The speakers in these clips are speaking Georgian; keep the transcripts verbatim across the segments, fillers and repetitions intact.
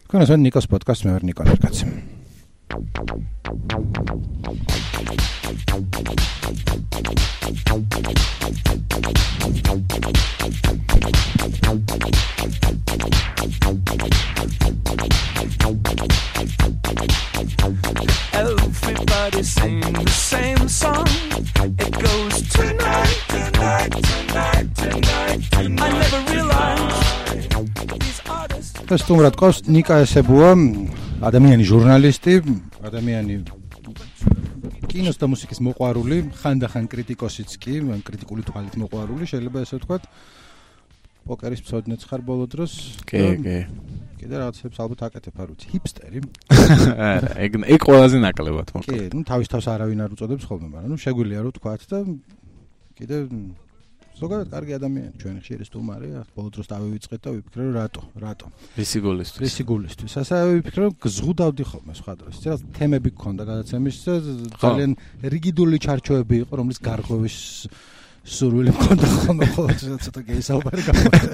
თქვენს ვარ ნიკოს პოდკასტ, მე ვარ ნიკო ნერკაცი. Everybody sing the same song. It goes tonight, tonight, tonight, tonight, tonight. I never realized these artists. ეს თუმრად ყავს ნიკა ესებუა, ადამიანი ჟურნალისტი, ადამიანი კინოს და მუსიკის მოყვარული, ხანდახან კრიტიკოსიც კი, კრიტიკული თვალით მოყვარული, შეიძლება ესე ვთქვათ. პოკერის მცოდნეც ხარ ბოლო დროს. კი, კი. კიდე რაღაცებს ალბათ აკეთებ, არ ვიცი, ჰიპსტერი. არა, ეგ ეგ ყველაზე ნაკლებად მოკლედ. კი, ნუ თავის თავს არავინ არ უწოდებს ხოლმე, მაგრამ ნუ შეგვიძლია რომ ვთქვათ და კიდე ზოგადად კარგი ადამიანი, ჩვენი ხშირი სტუმარია, ბოლო დროს დავივიწყეთ და ვიფიქრე რომ რატო, რატო. რისი გულისთვის? რისი გულისთვის. ასე ვიფიქრე რომ გზღუდავდი ხოლმე სხვა დროს. ეს თემები გქონდა გადაცემის და ძალიან რიგიდული ჩარჩოები იყო, რომლის გარღვევის სურვილი მქონდა ხოლმე, ცოტა გეისაუბარი გამოხდა.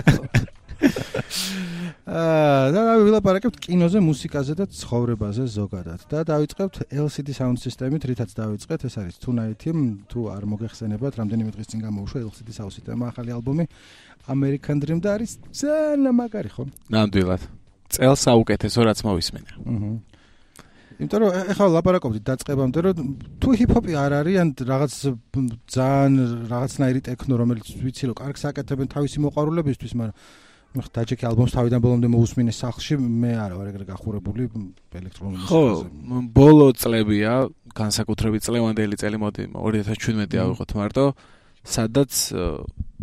აა და ვილაპარაკებთ კინოზე, მუსიკაზე და ცხოვრებაზე ზოგადად. და დავიწყებთ ელ სი დი Sound System-ით, რითაც დავიწყეთ, ეს არის Tonight-ი, თუ არ მოგეხსენებათ, რამდენიმე დღის წინ გამოუშვა ელ სი დი Sound System-ი ახალი ალბომი American Dream და არის ძალიან მაგარი, ხო? ნამდვილად. წელს საუკეთესო რაც მოვისმენე. აჰა. იმიტომ რომ ეხლა ლაპარაკობდით დაწყებამდე რომ თუ ჰიპ-ჰოპი არ არის ან რაღაც ძალიან რაღაცნაირი ტექნო რომელიც ვიცი რომ კარგს აკეთებენ თავისი მოყვარულებისთვის, მაგრამ ნახ დაჭექი ალბომს თავიდან ბოლომდე მოусმინე სახლში, მე არა ვარ ეგრე გახურებული ელექტრონულ მუსიკაზე. ხო, ბოლო წლებია, განსაკუთრებით წლევანდელი წელი მოდი ორი ათას შვიდმეტი ავიღოთ მარტო, სადაც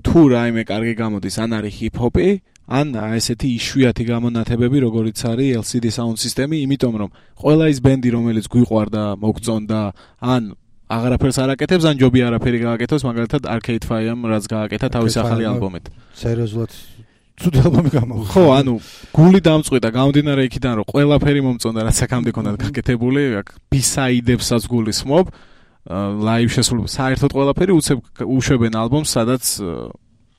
თუ რაიმე კარგი გამოდის, ან არის ჰიპ-ჰოპი, ან ესეთი იშვიათი გამონათებები, როგორიც არის ელ სი დი Sound System-ი, იმიტომ რომ ყველა ის ბენდი, რომელიც გვიყვარდა, მოგწონდა, ან აღარაფერს არ აკეთებს, ან ჯობი არაფერი გააკეთოს, მაგალითად Arcade Fire-მ რაც გააკეთა თავის ახალი ალბომით. სერიოზულად ცუდი ალბომი გამოუხო. ხო, ანუ გული დამწყვიტა, გამომდინარე იქიდან, რომ ყველაფერი მომწონდა, რაც აქამდე ქონდა გაკეთებული, აქ B-side-ებსაც გულისხმობ, live შესრულებას, საერთოდ ყველაფერი უცებ უშვებენ ალბომს, სადაც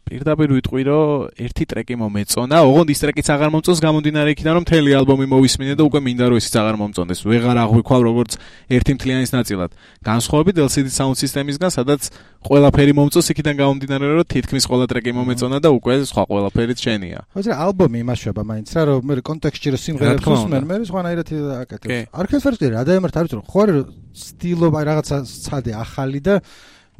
პირდაპირ ვიტყვი, რომ ერთი ტრეკი მომეწონა, ოღონდ ის ტრეკიც აღარ მომწონს, გამომდინარე იქიდან, რომ მთელი ალბომი მოვისმინე და უკვე მინდა რომ ისიც აღარ მომწონდეს. ვეღარ აღვიქვალ როგორც ერთი მთლიანის ნაწილად. განსხვავებით ელ სი დი Sound System-ისგან, სადაც ყველაფერი მომწონს, იქიდან გამომდინარე, რომ თითქმის ყველა ტრეკი მომეწონა და უკვე სხვა ყველაფერიც შენია. ხო, ეს ალბომი იმაშება მაინც რა, რომ მე კონტექსტში რომ სიმღერებს უსმენ, მე სხვანაირად აკეთებს. Arcade Fire-ში რა დაემართ არის, რომ ხო არის სტილობა რაღაცა ცადე ახალი და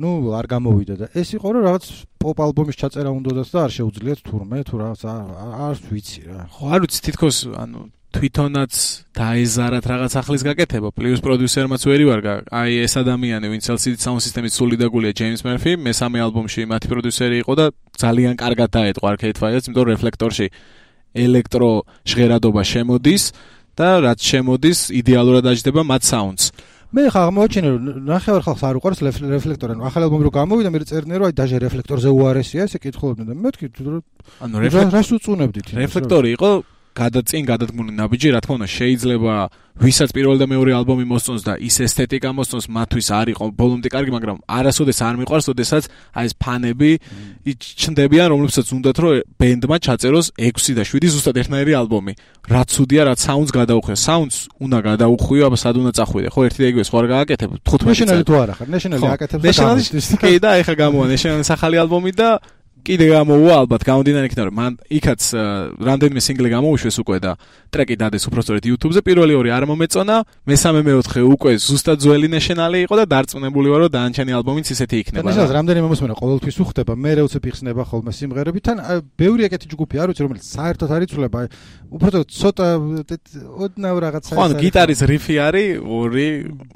ნუ არ გამოვიდა და ეს იყო რომ რაღაც პოპ ალბომის ჩაწერა უნდათ და არ შეუძლიათ თურმე თუ რაღაც არ ვიცი რა. ხო, არ ვიცი, თითქოს ანუ თვითონაც დაეზარათ რაღაც ახლის გაკეთება, პლუს პროდიუსერმაც ვერი ვარ, აი ეს ადამიანი, ვინც ელ სი დი Sound System-ის სული დაგულია ჯეიმს მერფი, მესამე ალბომში მათი პროდიუსერი იყო და ძალიან კარგად დაეტყვა Arcade Fire-ს, იმიტომ რომ რეფლექტორში ელექტრო ჟღერადობა შემოდის და რაც შემოდის, იდეალურად აჯდება მათ საუნდს. მე ხა აღმოაჩინე რომ ნახევარ ხალხს არ უყარს რეფლექტორი, ანუ ახალი ალბომი რო გამოვიდა, მე წერდნენ რომ აი დაჟე რეფლექტორზე უარესია, ესე კითხულობდნენ და მე ვთქვი რომ ანუ რეფლექტორი რას უწუნებდით? რეფლექტორი იყო გადაწინ გადადგმული ნაბიჯი, რა თქმა უნდა, შეიძლება ვისაც პირველ და მეორე ალბომი მოსწონს და ის ესთეტიკა მოსწონს, მათთვის არ იყო ბოლომდე კარგი, მაგრამ არასოდეს არ მიყვარს, ოდესაც აი ეს ფანები ჩნდებიან, რომლებსაც უნდათ რომ ბენდმა ჩაწეროს ექვსი და შვიდი ზუსტად ერთნაირი ალბომი. რაც ცუდია, რაც საუნდს გადაუხვია. საუნდს უნდა გადაუხვიო, აბა სად უნდა წახვიდე. ხო, ერთი და იგივე სხვა არ გააკეთებ. თხუთმეტი ნეშნალი თუ არა ხარ, ნეშნალი აკეთებს და გამოსდის. კი და ეხა გამოვა ნეშნალის ახალი ალბომი და კიდე გამოვა ალბათ გამომდინარე იქიდან რომ მან იქაც რამდენიმე სინგლი გამოუშვეს უკვე და ტრეკი დადეს უბრალოდ YouTube-ზე, პირველი ორი არ მომეწონა, მესამე მეოთხე უკვე ზუსტად ძველი ნეშნალი იყო და დარწმუნებული ვარ რომ დაანჩენი ალბომიც ისეთი იქნება. ნეშნალს რამდენიმე მოსმენა ყოველთვის უხდება, მე რეუცებ იხსნება ხოლმე სიმღერები, თან ბევრი ეკეთი ჯგუფი არ ვიცი რომელიც საერთოდ არ იცვლება, უბრალოდ ცოტა ოდნავ რაღაცა. ხო, გიტარის რიფი არის ორი,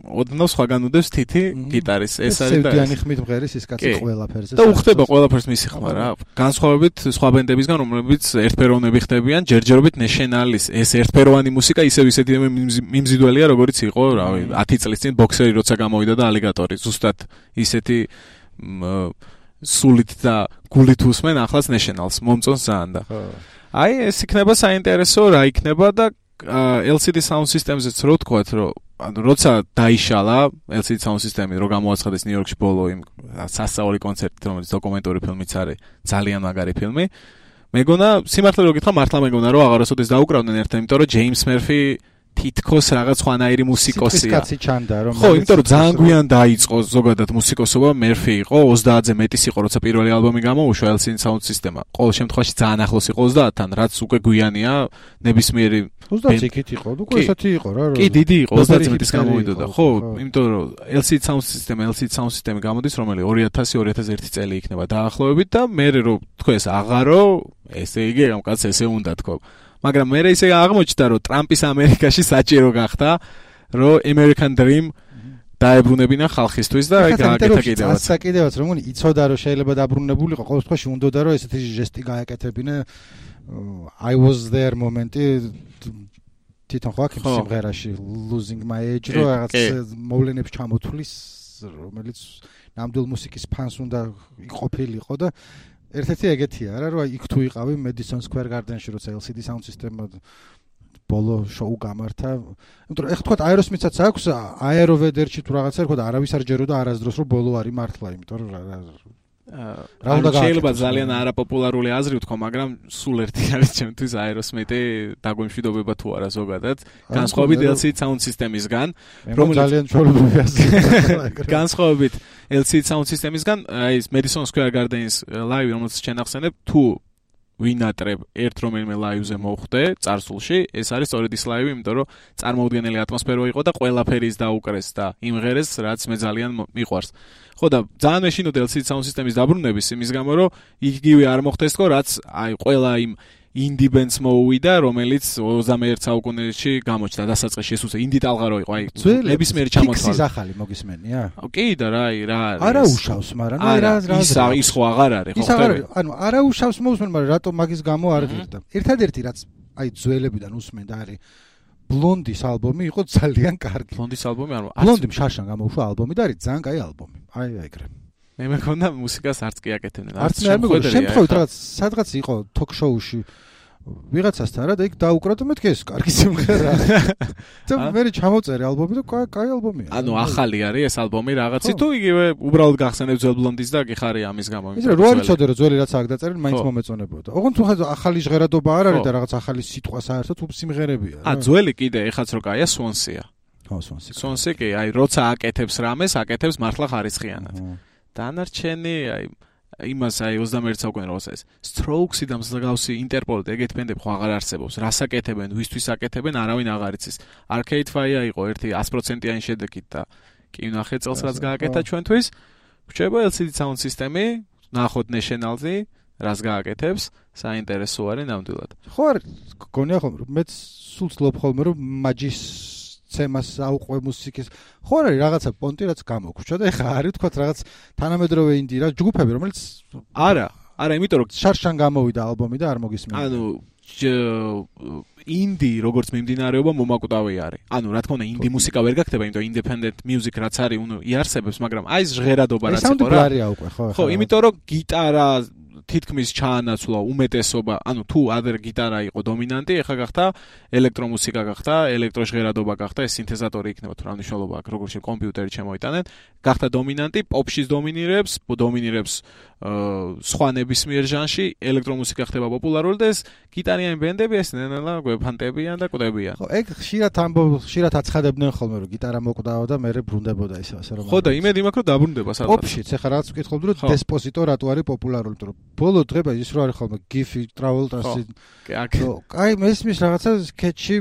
ოდნავ სხვაგან უდევს თითი გიტარის, ეს არის და სევდიანი ხმით მღერის ის კაცი ყველაფერზე. და უხდება ყველაფერს მისი ხმა რა. განსხვავებით სხვა ბენდებისგან, რომლებიც ერთფეროვნები ხდებიან, ჯერჯერობით ნეშნალის ეს ერთფეროვანი მუსიკა ისევ ისეთი მიმზიდველია, როგორც იყო, რავი, ათი წლის წინ ბოქსერი როცა გამოვიდა და ალიგატორი. ზუსტად ისეთი სულით და გულით უსმენ ახლაც ნეშნალს, მომწონს ძალიან და. აი, ეს იქნება საინტერესო, რა იქნება და ელ სი დი Sound System-ზეც რო თქვათ, რომ ანუ როცა დაიშალა ელ სი დი Sound System-ი, რო გამოაცხადეს ნიუ-იორკში ბოლო იმ სასწაული კონცერტით, რომელიც დოკუმენტური ფილმიც არის, ძალიან მაგარი ფილმი. მეგონა სიმართლე რო გითხრა მართლა მეგონა რომ აღარასოდეს დაუკრავდნენ ერთად, იმიტომ რომ ჯეიმს მერფი თითქოს რაღაც ხვანაირი მუსიკოსია. კაცი ჩანდა რომ ხო, იმიტომ რომ ძალიან გვიან დაიწყო ზოგადად მუსიკოსობა, მერფი იყო ოცდაათზე მეტის იყო, როცა პირველი ალბომი გამოუშვა ელ სი დი Sound System-მა. ყოველ შემთხვევაში ძალიან ახლოს იყო ოცდაათთან, რაც უკვე გვიანია ნებისმიერი ოცდაათი იქით იყო, უკვე ესეთი იყო რა. კი, დიდი იყო, ოცდაათზე მეტის გამოვიდოდა. ხო, იმიტომ რომ ელ სი დი Sound System, ელ სი დი Sound System-ი გამოდის, რომელიც ორი ათასი ორი ათას ერთი წელი იქნება დაახლოებით და მე რო თქვა ეს აღარო, ესე იგი ამ კაცს ესე უნდა თქო. მაგრამ მე ისე აღმოჩნდა რომ ტრამპის ამერიკაში საჭირო გახდა რომ American Dream დაებრუნებინა ხალხისთვის და აი გააკეთა კიდევაც. ასე კიდევაც რომ იცოდა რომ შეიძლება დაბრუნებულიყო, ყოველ შემთხვევაში უნდოდა რომ ესეთი ჟესტი გააკეთებინა. I was there მომენტი თვითონ ხო აქ სიმღერაში Losing My Edge რო რაღაც მოვლენებს ჩამოთვლის, რომელიც ნამდვილ მუსიკის ფანს უნდა იყოფილიყო და ერთ-ერთი ეგეთია რა, რომ იქ თუ იყავი Madison Square Garden-ში, როცა ელ სი დი Sound System-მა ბოლო შოუ გამართა. იმიტომ რომ ეხლა თქვა Aerosmith-საც აქვს Aeroveder-ში თუ რაღაცა თქვა არავის არ ჯეროდა არასდროს რომ ბოლო არის მართლა, იმიტომ რომ რა უნდა შეიძლება ძალიან არაპოპულარული აზრი ვთქვა, მაგრამ სულ ერთი არის ჩემთვის Aerosmith-ი დაგვემშვიდობება თუ არა ზოგადად. განსხვავებით ელ სი დი Sound System-ისგან, რომელიც ძალიან ჩვეულებრივი აზრია. განსხვავებით ელ სი დი Sound System-ისგან, აი ეს Madison Square Garden-ის ლაივი, რომელიც ჩვენ ახსენებ, თუ ვინატრებ ერთ რომელიმე ლაივზე მოხვდე წარსულში, ეს არის სწორედ ის ლაივი, იმიტომ რომ წარმოუდგენელი ატმოსფერო იყო და ყველაფერი ის დაუკრეს და იმღერეს, რაც მე ძალიან მიყვარს. ხო და ძალიან მეშინოდა ელ სი დი Sound System-ის დაბრუნების იმის გამო, რომ იგივე არ მოხდეს თქო, რაც აი ყველა იმ indie bands მოუვიდა, რომელიც ოცდამეერთე საუკუნეში გამოჩნდა დასაწყისში, ეს უცე indie ტალღა რო იყო, აი ნებისმიერი ჩამოთვალე. ფიქსის ახალი მოგისმენია? კი და რა, აი რა არის? არა უშავს, მაგრამ აი რა რა ის ის ხო აღარ არის, ხო ხდება? ანუ არა უშავს მოусმენ, მაგრამ რატო მაგის გამო არ ღირდა. ერთადერთი რაც აი ძველებიდან უსმენდა არის Blonde-ის ალბომი იყო ძალიან კარგი. Blonde-ის ალბომი არ მოა. Blonde-იმ შარშან გამოუშვა ალბომი და არის ძალიან კაი ალბომი. აი ეგრე. მე მეკონა მუსიკას არც კი აკეთებდნენ. არც მე არ მეგონა, შემთხვევით რაღაც სადღაც იყო talk-show-ში ვიღაცასთან რა და იქ დაუკრა და მეთქი ეს კარგი სიმღერა. და მე ჩამოწერე ალბომი და კაი ალბომია. ანუ ახალი არის ეს ალბომი რაღაცი თუ იგივე უბრალოდ გახსენებ ძველ Blonde-ის და გიხარი ამის გამო. იცი რა, რო არ იცოდე რომ ძველი რაც აქ დაწერილი, მაინც მომეწონებოდა. ოღონდ თუ ახალი ჟღერადობა არ არის და რაღაც ახალი სიტყვა საერთოდ თუ სიმღერებია. ა ძველი კიდე ეხაც რო კაია Swansea. ხო, Swansea. Swansea კი, აი როცა აკეთებს რამეს, აკეთებს მართლა ხარისხიანად. დანარჩენი აი იმას აი ოცდამეერთე საუკუნე როცა ეს Strokes-ი და მსგავსი Interpol-ი ეგეთ ბენდები ხო აღარ არსებობს. რას აკეთებენ, ვისთვის აკეთებენ, არავინ აღარ იცის. Arcade Fire იყო ერთი sto პროცენტიანი შედეგით და კი ნახე წელს რაც გააკეთა ჩვენთვის. გვჭირდება ელ სი დი Sound System-ი, ნახოთ National-ი, რას გააკეთებს, საინტერესო არის ნამდვილად. ხო არ გონია ხოლმე რომ მეც სულ ცდილობ ხოლმე რომ მაჯის ცემას აუყვე მუსიკის. ხო არის რაღაცა პონტი რაც გამოგვრჩა და ეხა არის თქვა რაღაც თანამედროვე ინდი რა ჯგუფები რომელიც არა, არა, იმიტომ რომ შარშან გამოვიდა ალბომი და არ მოგისმენია. ანუ ინდი როგორც მიმდინარეობა მომაკვდავი არის. ანუ რა თქმა უნდა ინდი მუსიკა ვერ გაქცევა, იმიტომ independent music რაც არის, უნუ იარსებებს, მაგრამ აი ეს ჟღერადობა რაც იყო რა. ხო, იმიტომ რომ გიტარა თითქმის ჩაანაცვლა უმეტესობა, ანუ თუ ადრე გიტარა იყო დომინანტი, ეხლა გახდა ელექტრომუსიკა გახდა, ელექტროჟღერადობა გახდა, ეს სინთეზატორი იქნება თუ რა მნიშვნელობა აქვს, როგორც კომპიუტერი შემოიტანენ, გახდა დომინანტი, პოპშიც დომინირებს, დომინირებს სხვა ნებისმიერ ჟანრში, ელექტრომუსიკა ხდება პოპულარული და ეს გიტარიანი ბენდები ეს ნელა გვეფანტებიან და კვდებიან. ხო, ეგ ხშირად ამბობ, ხშირად აცხადებდნენ ხოლმე რომ გიტარა მოკვდაო და მერე ბრუნდებოდა ისე ასე რომ. ხო და იმედი მაქვს რომ დაბრუნდება სადღაც. პოპშიც ეხლა რაღაც ვკითხობდი რომ Despacito რატო არის პოპულარული, იმიტომ რომ ბოლო დღეება ის რო არის ხოლმე Giffy Travolta-ში. კაი, მესმის რაღაცა სკეჩი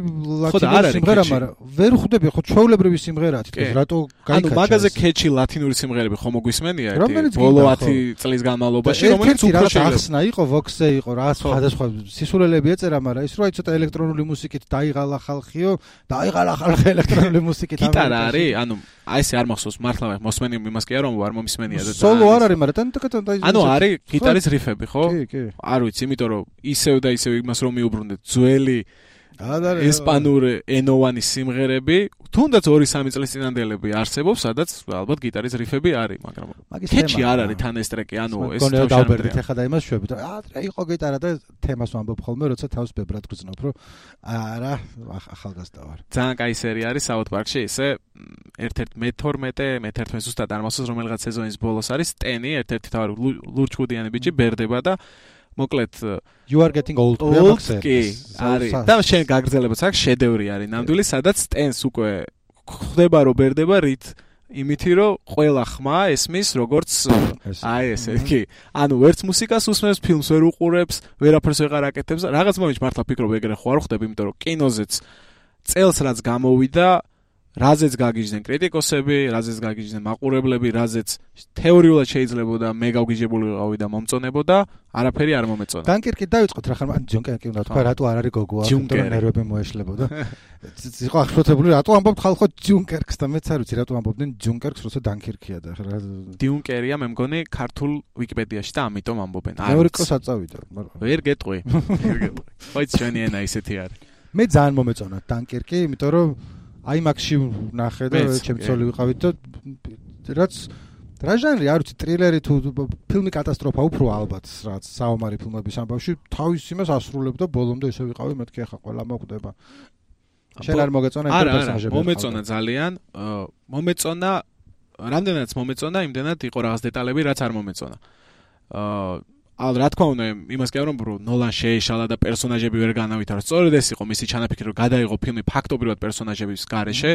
ლათინური სიმღერა, მაგრამ ვერ ხვდები ხო ჩვეულებრივი სიმღერაა თვითონ რატო გაიქაჩა. ანუ მაგაზე კეჩი ლათინური სიმღერები ხომ მოგვისმენია ერთი ბოლო ათი წლის განმავლობაში, რომელიც უფრო ახსნა იყო, Vox-ე იყო, რა სხვადასხვა სისულელები ეწერა, მაგრამ ის რო აი ცოტა ელექტრონული მუსიკით დაიღალა ხალხიო, დაიღალა ხალხი ელექტრონული მუსიკით. გიტარა არის, ანუ აი ესე არ მახსოვს მართლა მოსმენი იმას კი არ რომ არ მომისმენია და სოლო არ არის, მაგრამ ტანტაკატ და ანუ არის გიტარის რიფები, ხო? კი, კი. არ ვიცი, იმიტომ რომ ისევ და ისევ იმას რომ მიუბრუნდეთ ძველი ესპანური ენოვანი სიმღერები, თუნდაც ორი სამი წლის წინანდელები არსებობს, სადაც ალბათ გიტარის რიფები არის, მაგრამ კეჩი არ არის თან ეს ტრეკი, ანუ ეს თავშანებრივი ეხა და იმას შვებით. აა იყო გიტარა და თემას ვამბობ ხოლმე, როცა თავს ბებრად გრძნობ, რომ არა, ახალგაზრდა ვარ. ძალიან კაი სერია არის South Park-ში, ესე ერთ-ერთი მეთორმეტე, მეთერთმეტე ზუსტად არ მახსოვს რომელიღაც სეზონის ბოლოს არის ტენი, ერთ-ერთი თავი ლურჩხუდიანი ბიჭი ბერდება და მოკლედ You are getting old. old კი არის და შენ გაგრძელებაც აქვს შედევრი არის ნამდვილი, სადაც ტენს უკვე ხდება რომ ბერდება რით იმითი რომ ყველა ხმა ესმის როგორც აი ესე კი ანუ ვერც მუსიკას უსმენს, ფილმს ვერ უყურებს, ვერაფერს ვეღარ აკეთებს. რაღაც მომენტში მართლა ფიქრობ ეგრე ხო არ ხდება, იმიტომ რომ კინოზეც წელს რაც გამოვიდა, რაზეც გაგიჟდნენ კრიტიკოსები, რაზეც გაგიჟდნენ მაყურებლები, რაზეც თეორიულად შეიძლებოდა მე გავგიჟებული ვიყავი და მომწონებოდა, არაფერი არ მომეწონა. დანკერკი დაიწყოთ რა ხარ, ჯონკერკი უნდა თქვა, რატო არ არის გოგოა, იმიტომ რომ ნერვები მოეშლებოდა. იყო ახსოვებული, რატო ამბობთ ხალხო ჯუნკერკს და მეც არ ვიცი, რატო ამბობდნენ ჯუნკერკს, როცა დანკერკია და რა. დიუნკერია მე მგონი ქართულ ვიკიპედიაში და ამიტომ ამბობენ. მეორე კოს აწავიდა, მაგრამ ვერ გეტყვი. ვერ გეტყვი. ხო იცი ჩვენი ენა ისეთი არის. მე ძალიან მომეწონა დანკერკი, იმიტომ რომ აიმაქსში ნახე და ჩემ ცოლი ვიყავით და რაც რა ჟანრი არ ვიცი, ტრილერი თუ ფილმი კატასტროფა უფრო ალბათ, რაც საომარი ფილმების ამბავში თავის იმას ასრულებდა ბოლომდე ისე ვიყავი, მეთქი ახლა ყველა მოკვდება. შენ არ მოგეწონა იმ პერსონაჟები? არა, მომეწონა ძალიან, მომეწონა, რამდენადაც მომეწონა, იმდენად იყო რაღაც დეტალები, რაც არ მომეწონა. აა ალ რა თქმა უნდა იმას კი არ ვამბობ რომ ნოლან შეეშალა და პერსონაჟები ვერ განავითარო. სწორედ ეს იყო მისი ჩანაფიქრი რომ გადაიღო ფილმი ფაქტობრივად პერსონაჟების გარეშე,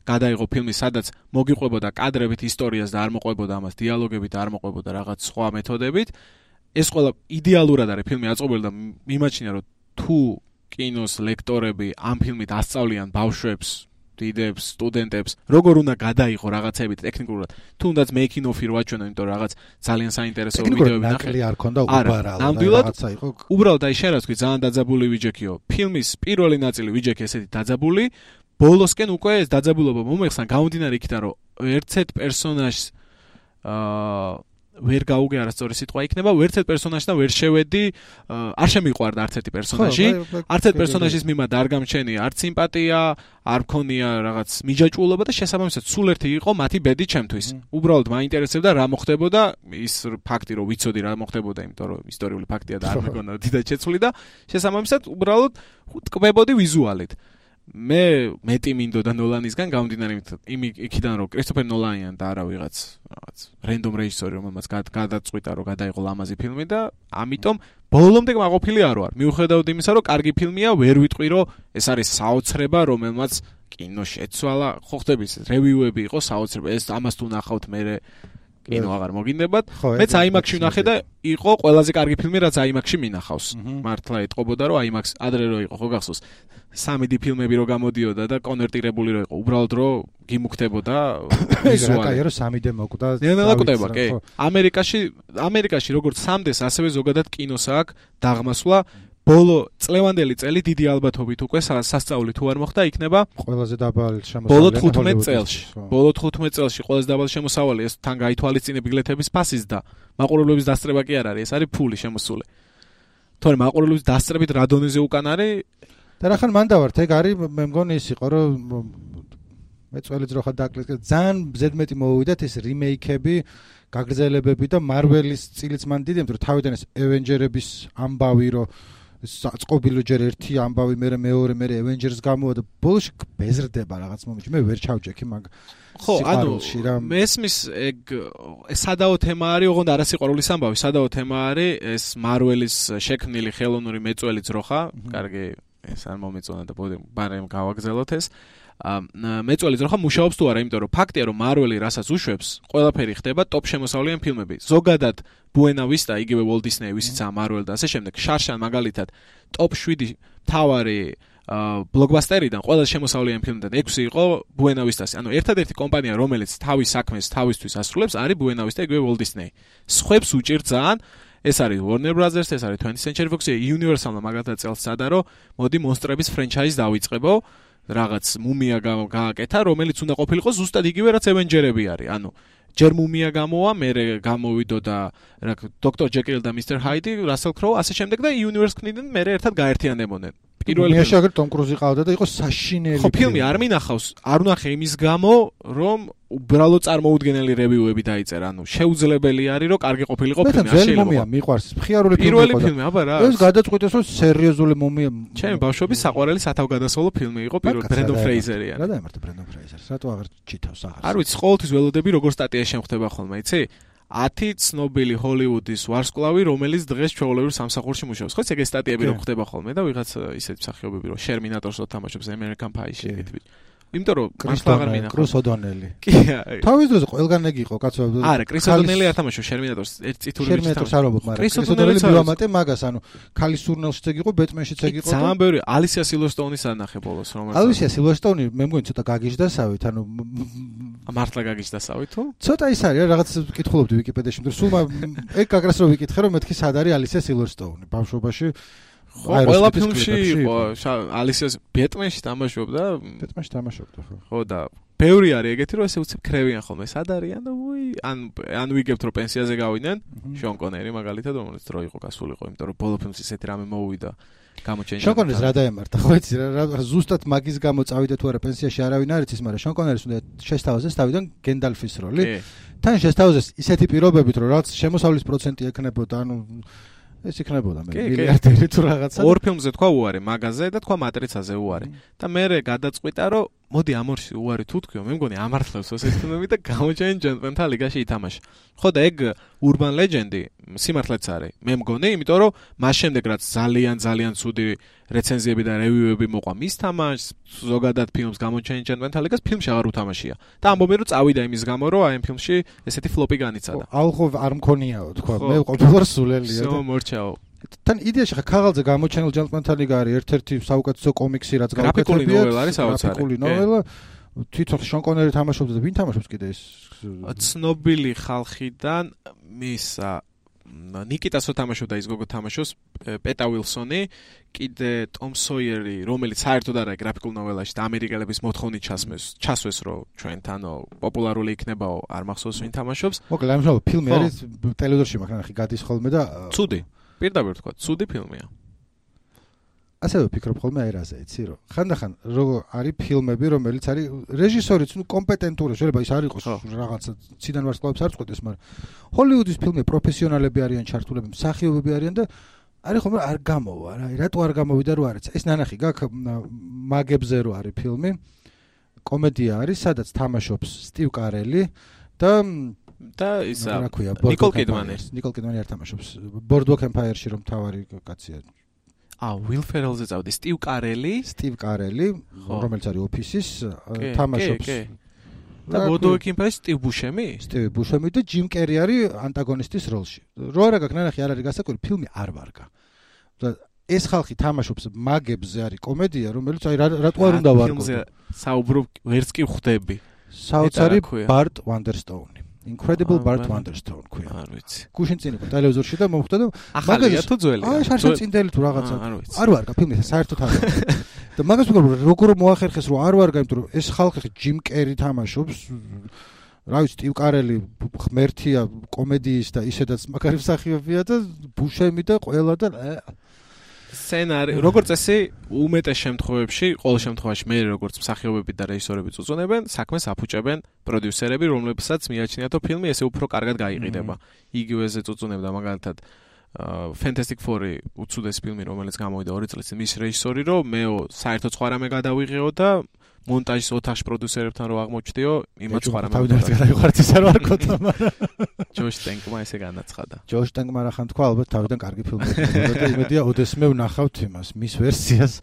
გადაიღო ფილმი სადაც მოგიყვებოდა კადრებით ისტორიას და არ მოყვებოდა ამას დიალოგებით და არ მოყვებოდა რაღაც სხვა მეთოდებით. ეს ყველა იდეალურად არის ფილმი აწყობილი და მიმაჩნია რომ თუ კინოს ლექტორები ამ ფილმით ასწავლიან ბავშვებს, დიდებს, სტუდენტებს, როგორ უნდა გადაიღო რაღაცები ტექნიკურად. თუნდაც making of-ი რო აჩვენო, იმიტომ რომ რაღაც ძალიან საინტერესო ვიდეოები ნახე. ნაკლი არ ქონდა უბრალოდ რაღაცა იყო. უბრალოდ აი შენ რა თქვი, ძალიან დაძაბული ვიჯექიო. ფილმის პირველი ნაწილი ვიჯექი ესეთი დაძაბული, ბოლოსკენ უკვე ეს დაძაბულობა მომეხსნა გამომდინარე იქიდან, რომ ერთ-ერთ პერსონაჟს აა ვერ გაუგე არასწორი სიტყვა იქნება, ერთ-ერთ პერსონაჟთან ვერ შევედი, არ შემიყვარდა არც ერთი პერსონაჟი, არც ერთ პერსონაჟის მიმართ არ გამჩენია არც სიმპათია, არ მქონია რაღაც მიჯაჭვულობა და შესაბამისად სულ ერთი იყო მათი ბედი ჩემთვის. უბრალოდ მაინტერესებდა რა მოხდებოდა, ის ფაქტი რომ ვიცოდი რა მოხდებოდა, იმიტომ რომ ისტორიული ფაქტია და არ მეგონა დიდად შეცვლი და შესაბამისად უბრალოდ ტკბებოდი ვიზუალით. მე მეტი მინდოდა ნოლანისგან გამომდინარე იმ იქიდან რომ კრისტოფერ ნოლანიან და არა ვიღაც რაღაც რენდომ რეჟისორი რომელმაც გადაწყვიტა რომ გადაიღო ლამაზი ფილმი და ამიტომ ბოლომდე მაყოფილი არ ვარ. მიუხედავად იმისა რომ კარგი ფილმია, ვერ ვიტყვი რომ ეს არის საოცრება რომელმაც კინო შეცვალა. ხო ხდების რევიუები იყო საოცრება, ეს ამას თუ ნახავთ მე კინო აღარ მოგინდებათ. მეც აიმაქსში ვნახე და იყო ყველაზე კარგი ფილმი რაც აიმაქსში მინახავს. მართლა ეთყობოდა რომ აიმაქს ადრე რო იყო, ხო გახსოვს? სამი დი ფილმები რო გამოდიოდა და კონვერტირებული რო იყო, უბრალოდ რო გიმუქდებოდა ვიზუალურად. აი, რომ სამი დე მოკვდა. ნელა კვდება, კი. ამერიკაში, ამერიკაში როგორც სამ დეს, ასევე ზოგადად კინოს აქვს დაღმასვლა. ბოლო წლევანდელი წელი დიდი ალბათობით უკვე სასწაული თუ არ მოხდა, იქნება ყველაზე დაბალი შემოსავალი. ბოლო თხუთმეტ წელში. ბოლო თხუთმეტ წელში ყველაზე დაბალი შემოსავალი ეს თან გაითვალისწინე ბილეთების ფასის და მაყურებლების დასწრება კი არ არის, ეს არის ფული შემოსული. თორემ მაყურებლების დასწრებით რა დონეზე უკან არის და რახან მან დავართ, ეგ არის მე მგონი ის იყო რომ მე წველი ძროხა დაკლეს, ძალიან ზედმეტი მოვიდათ ეს რიმეიქები, გაგრძელებები და მარველის წილიც მან დიდი, იმიტომ რომ თავიდან ეს Avengers-ების ამბავი რომ საწყობილო ჯერ ერთი ამბავი, მე მეორე, მე Avengers გამოვა და ბოლოში ბეზრდება რაღაც მომენტში. მე ვერ ჩავჯექი მაგ ხო, ანუ მესმის ეგ სადაო თემა არის, ოღონდ არასიყვარულის ამბავი, სადაო თემა არის ეს მარველის შექმნილი ხელოვნური მეწველი ძროხა. კარგი, ეს არ მომეწონა და ბარემ გავაგზავნოთ ეს. მეწველი ძროხა მუშაობს თუ არა, იმიტომ რომ ფაქტია რომ მარველი რასაც უშვებს, ყველაფერი ხდება ტოპ შემოსავლიანი ფილმები. ზოგადად ბუენა ვისტა, იგივე Walt Disney, ვისიც ამ მარველი და ასე შემდეგ, შარშან მაგალითად ტოპ შვიდი თავარი ბლოკბასტერიდან ყველა შემოსავლიანი ფილმიდან ექვსი იყო ბუენა ვისტას. ანუ ერთადერთი კომპანია რომელიც თავის საქმეს თავისთვის ასრულებს არის ბუენა ვისტა, იგივე Walt Disney. სხვებს უჭირთ ძალიან. ეს არის Warner Brothers, ეს არის twentieth Century Fox, Universal-მა მაგალითად წელს სადარო, მოდი მონსტრების ფრენჩაიზ დავიწყებო. რაღაც მუმია გააკეთა, რომელიც უნდა ყოფილიყო ზუსტად იგივე რაც Avengers-ები არის. ანუ ჯერ მუმია გამოვა, მერე გამოვიდო და რა დოქტორ ჯეკილ და მისტერ ჰაიდი, რასელ კროუ, ასე შემდეგ და Universe კნიდნენ მერე ერთად გაერთიანებოდნენ. პირველი მუმიაში აგერ ტომ კრუზი ყავდა და იყო საშინელი. ხო, ფილმი არ მინახავს, არ ვნახე იმის გამო, რომ უბრალოდ წარმოუდგენელი რევიუები დაიწერა. ანუ შეუძლებელი არის, რომ კარგი ყოფილიყო ფილმი, არ შეიძლება. მუმია მიყვარს, მხიარული ფილმი პირველი ფილმი, აბა რა. ეს გადაწყვიტეს, რომ სერიოზული მუმია. ჩემი ბავშვობის საყვარელი სათავგადასავლო ფილმი იყო პირველი ბრენდონ ფრეიზერი. რა დაემართა ბრენდონ ფრეიზერს? რატო აღარ ჩითავს აღარ? არ ვიცი, ყოველთვის ველოდები როგორ სტატია შემხდება ხოლმე, იცი? ათი ცნობილი ჰოლივუდის ვარსკვლავი, რომელიც დღეს ჩვეულებრივ სამსახურში მუშაობს. ხო, ეგ სტატიები რო ხდება ხოლმე და ვიღაც ისეთი მსახიობები რო შერმინატორს რო თამაშობს American Pie-ში ეგეთი. იმიტომ რომ მართლა აღარ მინახავს. კრუს ოდონელი. კი. თავის დროზე ყველგან ეგ იყო, კაცო. არა, კრის ოდონელი არ თამაშობს შერმინატორს, ერთ წითური ვიჩი. შერმინატორს არ ვამბობ, მაგრამ კრის ოდონელი მივამატე მაგას, ანუ ქალის სურნელშიც ეგ იყო, ბეტმენშიც ეგ იყო. ძალიან ბევრი ალისია სილვესტოუნის ანახე ბოლოს, რომელიც ალისია სილვესტოუნი მე მგონი ცოტა გაგიჟდასავით, ანუ მართლა გაგიჟდასავით თუ? ცოტა ის არის, რაღაც ვიკითხულობდი ვიკიპედიაში, მაგრამ სულ ეგ გაგრას რო ვიკითხე, რომ მეთქი სად არის ალისია სილვესტოუნი ბავშვობაში. ყველა ფილმში იყო ალისიას ბეტმენში თამაშობდა ბეტმენში თამაშობდა ხო ხო და ბევრი არის ეგეთი რომ ესე უცებ ქრევიან ხოლმე სად არიან და უი ან ან ვიგებთ რომ პენსიაზე გავიდნენ შონ კონერი მაგალითად რომელიც დრო იყო გასულიყო იმიტომ რომ ბოლო ფილმს ისეთი რამე მოუვიდა გამოჩენილი შონ კონერს რა დაემართა ხო იცი რა ზუსტად მაგის გამო წავიდა თუ არა პენსიაში არავინ არ იცის მაგრამ შონ კონერის უნდა შესთავაზეს თავიდან გენდალფის როლი თან შესთავაზეს ისეთი პირობებით რომ რაც შემოსავლის პროცენტი ექნებოდა ანუ ეს იქნებოდა მე მილიარდერი თუ რაღაცა ორ ფილმზე თქვა უარი მაგაზე და თქვა მატრიცაზე უარი და მე გადაწყვიტა რომ მოდი ამორში უარი თუ თქვიო მე მგონი ამართლებს ესეთი ფილმები და გამოჩენ ჯენტლმენთა ლიგაში ითამაშა ხო და ეგ urban legend-ი სიმართლეც არის მე მგონი იმიტომ რომ მას შემდეგ რაც ძალიან ძალიან ცუდი რეცენზიები და რევიუები მოყვა მის თამაშს ზოგადად ფილმს გამოჩენ ჯენტლმენთა ლიგას ფილმში აღარ უთამაშია და ამბობენ რომ წავიდა იმის გამო რომ აი ამ ფილმში ესეთი ფლოპი განიცადა აუხო არ მქონიაო თქვა მე ყოფილვარ სულელია და მორჩაო თან იდეაში ხა ქაღალდზე გამოჩენილ ჯენტლმენთა ლიგა არის ერთ-ერთი საუკეთესო კომიქსი რაც გავაკეთებია გრაფიკული ნოველა არის საოცარი გრაფიკული ნოველა თვითონ შონ კონერი თამაშობდა და ვინ თამაშობს კიდე ეს ცნობილი ხალხიდან მისა ნიკიტასო თამაშობდა ის გოგო თამაშობს პეტა ვილსონი კიდე ტომ სოიერი რომელიც საერთოდ არა გრაფიკულ ნოველაში და ამერიკელების მოთხოვნით ჩასმეს ჩასვეს რომ ჩვენთანო პოპულარული იქნებაო არ მახსოვს ვინ თამაშობს მოკლედ ამჟამად ფილმი არის ტელევიზორში მაგრამ ხი გადის ხოლმე და ცუდი პირდაპირ თქვა ცუდი ფილმია ასევე ვფიქრობ ხოლმე აი რაზე იცი რომ ხანდახან როგორ არის ფილმები რომელიც არის რეჟისორიც ნუ კომპეტენტური შეიძლება ის არ იყოს რაღაცა ციდან ვარსკვლავებს არ წყვეტეს მაგრამ ჰოლივუდის ფილმები პროფესიონალები არიან ჩართულები მსახიობები არიან და არის ხოლმე არ გამოვა რა რატო არ გამოვიდა რო არის ეს ნანახი გაქვს მაგებზე რო არის ფილმი კომედია არის სადაც თამაშობს სტივ კარელი და და ისა ნიკოლ კიდმანი ნიკოლ კიდმანი არ თამაშობს ბორდვოკ ემპაიერში რომ თავარი კაცია ა ვილ ფერელზე წავდი სტივ კარელი სტივ კარელი რომელიც არის ოფისის თამაშობს და ბორდვოკ ემპაიერში სტივ ბუშემი სტივ ბუშემი და ჯიმ კერი არის ანტაგონისტის როლში რო არა გაქვს ნანახი არ არის გასაკვირი ფილმი არ ვარგა და ეს ხალხი თამაშობს მაგებზე არის კომედია რომელიც აი რატო არ უნდა ვარგო ფილმზე საუბრობ ვერც კი ხვდები საოცარი ბარტ ვანდერსტოუნი Incredible Bart Wonderstone ქვია. არ ვიცი. გუშინ წინ იყო ტელევიზორში და მომხვდა და მაგაზია თუ ძველია? აი შარშან წინდელი თუ რაღაცა. არ ვარგა ფილმი საერთოდ არ ვარგა. და მაგას ვიგებ როგორ მოახერხეს რომ არ ვარგა, იმიტომ რომ ეს ხალხი ჯიმ კერი თამაშობს. რა ვიცი, სტივ კარელი ღმერთია კომედიის და ისედაც მაგარი მსახიობია და ბუშემი და ყველა და სცენარი როგორც წესი უმეტეს შემთხვევებში ყოველ შემთხვევაში მე როგორც მსახიობები და რეჟისორები წუწუნებენ საქმეს აფუჭებენ პროდიუსერები რომლებსაც მიაჩნიათ რომ ფილმი ესე უფრო კარგად გაიყიდება იგივეზე წუწუნებდა მაგალითად Fantastic Four-ი უცუდეს ფილმი რომელიც გამოვიდა ორი წლის წინ მის რეჟისორი რომ მეო საერთოდ სხვა რამე გადავიღეო და მონტაჟის ოთახში პროდიუსერებთან რო აღმოჩნდიო იმათ სხვა რამე თავიდან გადაიხართ ის არ ვარქოთა მაგრამ ჯოშ ტენკმა ესე განაცხადა ჯოშ ტენკმა რა ხან თქვა ალბათ თავიდან კარგი ფილმები და იმედია ოდესმე ვნახავთ იმას მის ვერსიას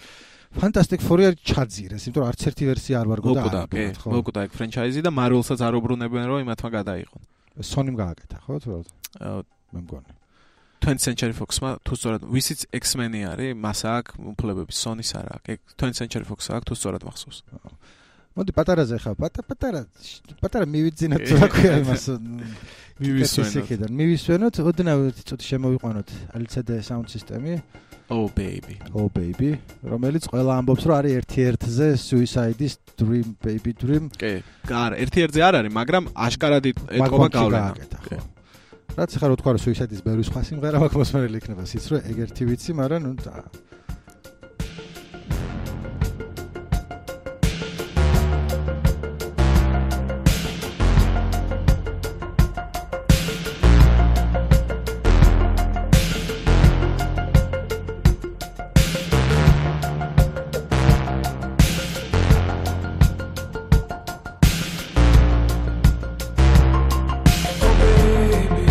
Fantastic Four-ი არის ჩაძირეს იმიტომ რომ არც ერთი ვერსია არ ვარგო და არა ხო მოკუდა ეგ ფრენჩაიზი და Marvel-საც არ უბრუნებენ რომ იმათმა გადაიღონ Sony-მ გააკეთა ხო თუ რა მე მგონი twentieth Century Fox-მა თუ სწორად ვისიც X-Men-ი არის, მას აქვს უფლებები, Sony-ს არ აქვს. twentieth Century Fox-ს აქვს თუ სწორად მახსოვს. მოდი პატარაზე ხა, პატარა, პატარა მივიძინოთ რა ქვია იმას. მივისვენოთ. მივისვენოთ, ოდნავ ცოტა შემოვიყვანოთ ელ ცი დი sound system-ი. Oh baby. Oh baby, რომელიც ყველა ამბობს რომ არის ერთ-ერთზე Suicide-ის Dream Baby Dream. კი, არა, ერთ-ერთზე არ არის, მაგრამ აშკარად ეთქობა გავლენა. რაც ხარო თქვა რომ Suicide-ის ბევრი სხვა სიმღერა მაქვს მოსმენელი იქნება სიც რომ ეგ ერთი ვიცი, მაგრამ ნუ Oh baby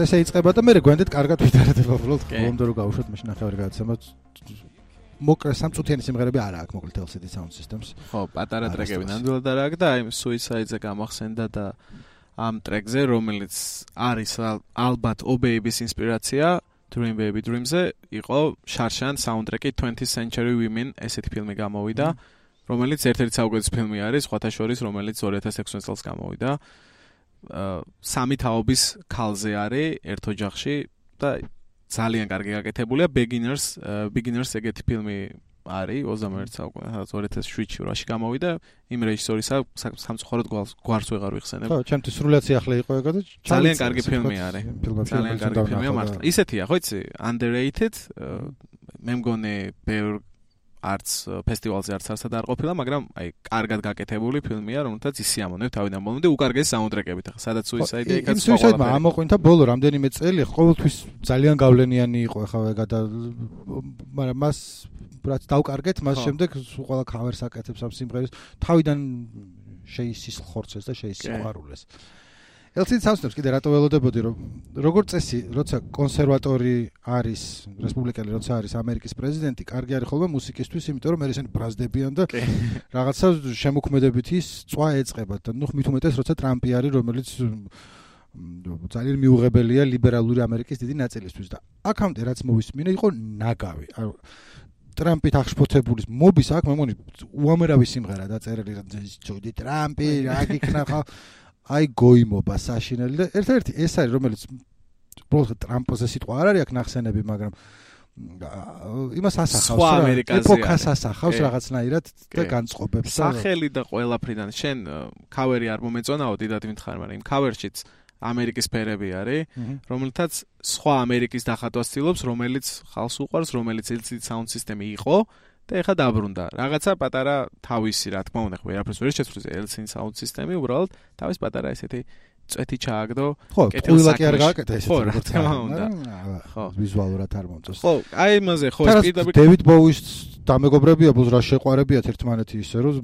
ესე იწყება და მე გვენდეთ კარგად ვიდარადება უბრალოდ ბოლომდე რო გავუშვათ მაშინ ნახევარი გადაცემა მოკლე სამწუთიანი სიმღერები არ აქვს მოკლედ ელ სი დი Sound Systems. ხო, პატარა ტრეკები ნამდვილად არ აქვს და აი Suicide-ზე გამახსენდა და ამ ტრეკზე რომელიც არის ალბათ Oh Baby-ის ინსპირაცია Dream Baby Dream-ზე იყო შარშან საუნდტრეკი twentieth Century Women ესეთი ფილმი გამოვიდა რომელიც ერთ-ერთი საუკეთესო ფილმი არის სხვათა შორის რომელიც two thousand six წელს გამოვიდა. სამი თაობის ქალზე არის ერთ ოჯახში და ძალიან კარგი გაკეთებულია Beginners Beginners ეგეთი ფილმი არის ოცდამეერთე საუკუნეში two thousand seven-ში რაში გამოვიდა იმ რეჟისორისა სამწუხაროდ გვარს ვეღარ ვიხსენებ. ხო, ჩემთვის სრულად სიახლე იყო ეგ და ძალიან კარგი ფილმი არის. ძალიან კარგი ფილმია მართლა. ისეთია, ხო იცი, underrated მე მგონი ბევრ არც ფესტივალზე არც არსად არ ყოფილა, მაგრამ აი კარგად გაკეთებული ფილმია, რომელთაც ისიამოვნებ თავიდან ბოლომდე უკარგეს საუნდტრეკებით. ახლა სადაც Suicide-ი იქაც სხვა. Suicide-მა ამოყვინთა ბოლო რამდენიმე წელი, ყოველთვის ძალიან გავლენიანი იყო ახლა ეგა და მაგრამ მას რაც დავკარგეთ, მას შემდეგ ყველა cover-ს აკეთებს ამ სიმღერას, თავიდან შეისის ხორცეს და შეისიყვარულეს. ელ სი დი Sound Systems კიდე რატო ველოდებოდი რომ როგორც წესი, როცა კონსერვატორი არის, რესპუბლიკელი როცა არის ამერიკის პრეზიდენტი, კარგი არის ხოლმე მუსიკისთვის, იმიტომ რომ ისინი ბრაზდებიან და რაღაცა შემოქმედებითი წვა ეწყებათ და ნუ მით უმეტეს როცა ტრამპი არის, რომელიც ძალიან მიუღებელია ლიბერალური ამერიკის დიდი ნაწილისთვის და აქამდე რაც მოვისმინე იყო ნაგავი. ტრამპით აღშფოთებული მობის აქ მე მგონი უამრავი სიმღერა დაწერილი ჯოდი ტრამპი რა გიქნა ხო აი გოიმობა საშინელი და ერთ-ერთი ეს არის რომელიც უბრალოდ ტრამპზე სიტყვა არ არის აქ ნახსენები მაგრამ იმას ასახავს რა ეპოქას ასახავს რაღაცნაირად და განწყობებს სახელი და ყველაფრიდან შენ ქავერი არ მომეწონაო დიდად მითხარ მაგრამ იმ ქავერშიც ამერიკის ფერები არის რომელთაც სხვა ამერიკის დახატვას ცდილობს რომელიც ხალხს უყვარს რომელიც ელ სი დი Sound System-ი იყო და ეხა დაბრუნდა. რაღაცა პატარა თავისი, რა თქმა უნდა, ვერაფერს ვერ შეცვლის ელ სი დი Sound System-ი, უბრალოდ თავის პატარა ესეთი წვეთი ჩააგდო. ხო, ყველა კი არ გააკეთა ესეთი. ხო, რა თქმა უნდა. ხო, ვიზუალურად არ მომწონს. ხო, აი იმაზე ხო, პირდაპირ დევიდ ბოუის დამეგობრებია, ბოლოს რა შეყვარებიათ ერთმანეთი ისე, რომ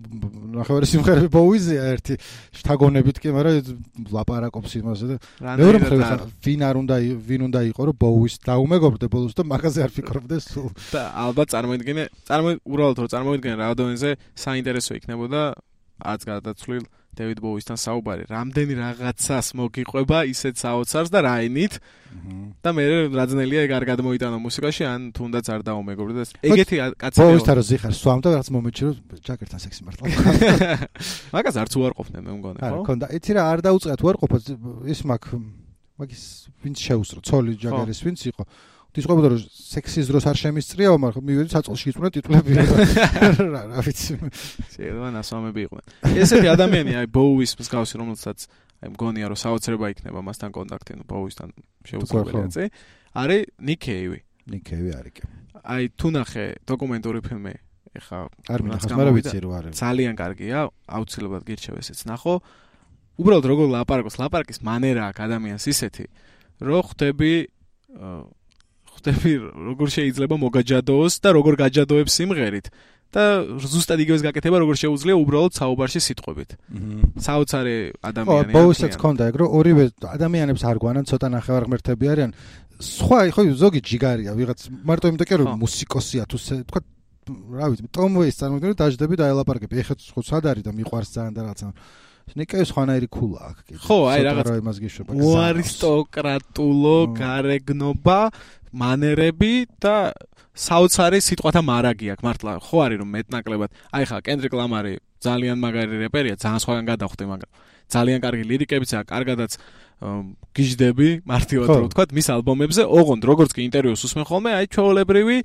ნახევარი სიმღერები ბოუიზია ერთი შთაგონებით კი, მაგრამ ლაპარაკობს იმაზე და მეორე მხრივ ვინ არ უნდა ვინ უნდა იყო, რომ ბოუის დაუმეგობრდე ბოლოს და მაგაზე არ ფიქრობდეს სულ. და ალბათ წარმოიდგინე, წარმო უბრალოდ რომ წარმოიდგინე რა დონეზე საინტერესო იქნებოდა აც გადაცვლილ დევიდ ბოუისთან საუბარი, რამდენი რაღაცას მოგიყვება ისეთ საოცარს და რაინით და მე რაძნელია ეგ არ გადმოიტანო მუსიკაში, ან თუნდაც არ დაუმეგობრდეს. ეგეთი კაცები ბოუისთან რო ზიხარ სვამ და რაც მომეჩი რომ ჯაკერთან სექსი მართლა. მაგას არც უარყოფდნენ მე მგონი, ხო? არა, კონდა, იცი რა არ დაუწყეთ უარყოფოთ ის მაგ მაგის ვინც შეუსრო, ცოლი ჯაგერის ვინც იყო. დისყობოდა რომ სექსის დროს არ შემისწრიაო, მაგრამ მივედი საწოლში იწვნა ტიტულები. რა რა ვიცი. შეიძლება ნასვამები იყვნენ. ესეთი ადამიანი აი ბოუის მსგავსი რომელსაც აი მგონია რომ საოცრება იქნება მასთან კონტაქტი, ნუ ბოუისთან შეუძლებელია წი. არის ნიკ კეივი. ნიკ კეივი არის კი. აი თუ ნახე დოკუმენტური ფილმი, ეხა არ მინახავს, მაგრამ ვიცი რომ არის. ძალიან კარგია, აუცილებლად გირჩევ ესეც ნახო. უბრალოდ როგორ ლაპარაკობს, ლაპარაკის მანერა აქვს ადამიანს ისეთი, რომ ხვდები ხვდები როგორ შეიძლება მოგაჯადოოს და როგორ გაჯადოებს სიმღერით და ზუსტად იგივეს გაკეთება როგორ შეუძლია უბრალოდ საუბარში სიტყვებით. საოცარი ადამიანია. ხო, ბოუსეც ქონდა ეგ რომ ორივე ადამიანებს არ გვანან ცოტა ნახევარ ღმერთები არიან. სხვა ხო ზოგი ჯიგარია, ვიღაც მარტო იმიტომ კი რომ მუსიკოსია თუ თქვა რა ვიცი, ტომ ვეის წარმოგიდგენთ დაждები და ელაპარაკები. ეხლა ხო სად არის და მიყვარს ძალიან და რაღაცა. ნიკეის ხვანაირი ქულა აქვს კიდე. ხო, აი რაღაც იმას გიშვება. უარისტოკრატულო გარეგნობა, მანერები და საოცარი სიტყვათა მარაგი აქვს მართლა. ხო არის რომ მეტნაკლებად. აი ხა კენდრიკ ლამარი ძალიან მაგარი რეპერია, ძალიან სხვაგან გადახვდი, მაგრამ ძალიან კარგი ლირიკებიც აქვს, კარგადაც გიждები, მარტივად რო ვთქვათ, მის ალბომებზე, ოღონდ როგორც კი ინტერვიუს უსმენ ხოლმე, აი ჩვეულებრივი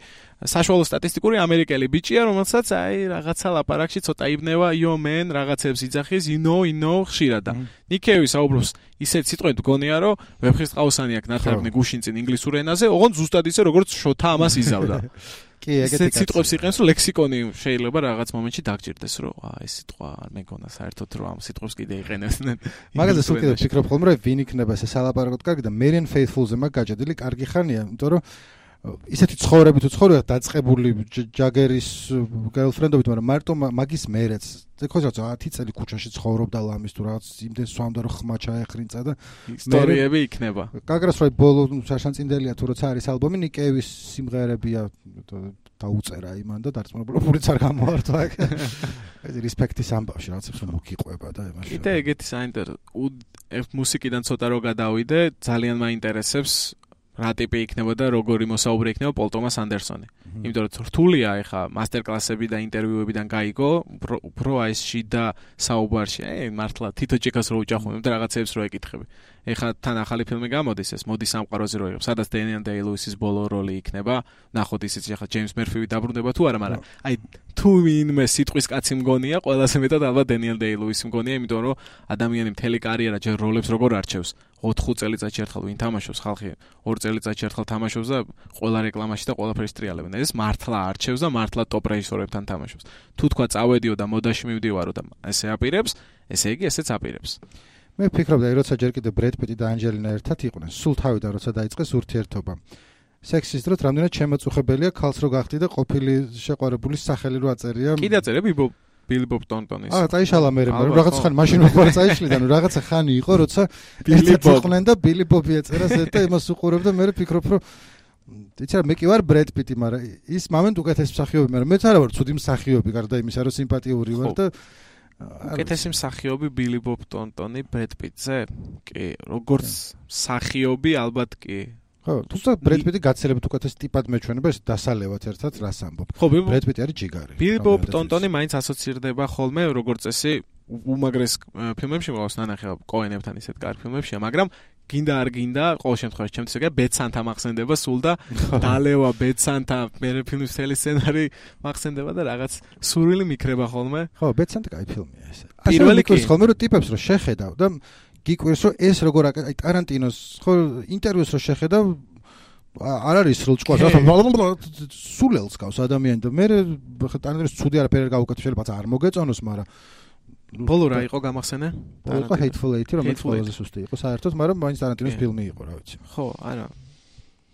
საშუალო სტატისტიკური ამერიკელი ბიჭია, რომელსაც აი რაღაცა ლაპარაკში ცოტა იბნევა, yo man, რაღაცებს იძახის, you know, you know, ხშირად და ნიკეევი საუბრობს ისეთ სიტყვებით გონია, რომ ვეფხისტყაოსანი აქვს ნათარგმნი გუშინ წინ ინგლისურ ენაზე, ოღონდ ზუსტად ისე როგორც შოთა ამას იზავდა. კი, ეგეთი სიტყვებს იყენს, რომ ლექსიკონი შეიძლება რაღაც მომენტში დაგჭირდეს, რომ აა ეს სიტყვა არ მეგონა საერთოდ რომ ამ სიტყვებს კიდე იყენებდნენ. მაგაზე სულ კიდე ვფიქრობ ხოლმე, რომ ვინ იქნება ეს სალაპარაკოდ კარგი და Marian Faithfull-ზე მაგ გაჭედილი კარგი ხანია, იმიტომ რომ ისეთი ცხოვრები თუ ცხოვრია დაწყებული ჯაგერის გერლფრენდობით, მაგრამ მარტო მაგის მერეც ხო ზოგადად ათი წელი ქუჩაში ცხოვრობდა ლამის თუ რაღაც იმდენ სვამდა რომ ხმა ჩაეხრინწა და ისტორიები იქნება. გაგრას რომ ბოლო შაშანწინდელია თუ როცა არის ალბომი ნიკეევის სიმღერებია დაუწერა იმან და დარწმუნებული ფულიც არ გამოართვა. ეს რესპექტის ამბავში რაღაცებს რომ მოგიყვება და იმაში. კიდე ეგეთი საინტერესო მუსიკიდან ცოტა რო გადავიდე, ძალიან მაინტერესებს რა ტიპი იქნება და როგორი მოსაუბრი იქნება პოლ ტომას ანდერსონი. იმიტომ რომ რთულია ეხა მასტერკლასები და ინტერვიუებიდან გაიგო, უფრო აი ეს შიდა საუბარში, ე მართლა თითო ჭიქას რო უჭახუნებ და რაღაცებს რო ეკითხები. ეხა თან ახალი ფილმი გამოდის ეს, მოდი სამყაროზე რო იღებ, სადაც დენიელ დეი-ლუისის ბოლო როლი იქნება. ნახოთ ისიც ეხა ჯეიმს მერფივი დაბრუნება თუ არა, მაგრამ აი თუ ვინმე სიტყვის კაცი მგონია, ყველაზე მეტად ალბათ დენიელ დეი-ლუისი მგონია, იმიტომ რომ ადამიანი მთელი კარიერა ჯერ როლებს როგორ არჩევს. ოთხ წელიწადში ერთხელ ვინ თამაშობს, ხალხი ორ წელიწადში ერთხელ თამაშობს და ყველა რეკლამაში და ყველაფერს ტრიალებენ. ეს მართლა არჩევს და მართლა ტოპ რეჟისორებთან თამაშობს. თუ თქვა წავედიო და მოდაში მივდივარო და ესე აპირებს, ესე იგი ესეც აპირებს. მე ვფიქრობდი, როცა ჯერ კიდე ბრედ პიტი და ანჯელინა ერთად იყვნენ, სულ თავიდან როცა დაიწყეს ურთიერთობა. სექსის დროს რამდენად შემაწუხებელია ქალს რო გახდი და ყოფილი შეყვარებულის სახელი რო აწერია. კიდე აწერე ბიბო ბილი ბობ ტონტონის. აა, წაიშალა მე, მაგრამ რაღაც ხანი მაშინ მოყვა წაიშლიდა, ნუ რაღაცა ხანი იყო, როცა ბილი ბობ და ბილი ბობი ეწერა ზედა იმას უყურებდა, მე ვფიქრობ, რომ იცი რა, მე კი ვარ ბრედ პიტი, მაგრამ ის მომენტ უკეთეს მსახიობი, მაგრამ მეც არა ვარ ცუდი მსახიობი, გარდა იმისა, რომ სიმპათიური ვარ და უკეთესი მსახიობი ბილი ბობ ტონტონი ბრედ პიტზე? კი, როგორც მსახიობი ალბათ კი. ხო, თუმცა ბრედ პიტი გაცილებით უკეთეს ტიპად მეჩვენება, ეს დასალევად ერთად რას ამბობ. ხო, ბრედ პიტი არის ჯიგარი. ბილი ბობ ტონტონი მაინც ასოცირდება ხოლმე როგორც წესი უმაგრეს ფილმებში მყავს ნანახი კოენებთან ისეთ კარგ ფილმებშია, მაგრამ გინდა არ გინდა, ყოველ შემთხვევაში ჩემთვის ეგა ბეცანთა მახსენდება სულ და დალევა ბეცანთა მე ფილმის მთელი სცენარი მახსენდება და რაღაც სურვილი მიქრება ხოლმე. ხო, ბეცანთა კაი ფილმია ეს. პირველი კი ხოლმე რომ ტიპებს რომ შეხედავ და გიკვირს რომ ეს როგორ აი ტარანტინოს ხო ინტერვიუს რო შეხედავ არ არის სრულჭყვას რა სულელს გავს ადამიანი და მე ტარანტინოს ცუდი არაფერი არ გავუკეთებ შეიძლება არ მოგეწონოს მაგრამ ბოლო რა იყო გამახსენე? ბოლო იყო Hateful Eight, რომელიც ყველაზე სუსტი იყო საერთოდ, მაგრამ მაინც ტარანტინოს ფილმი იყო, რა ვიცი. ხო, არა.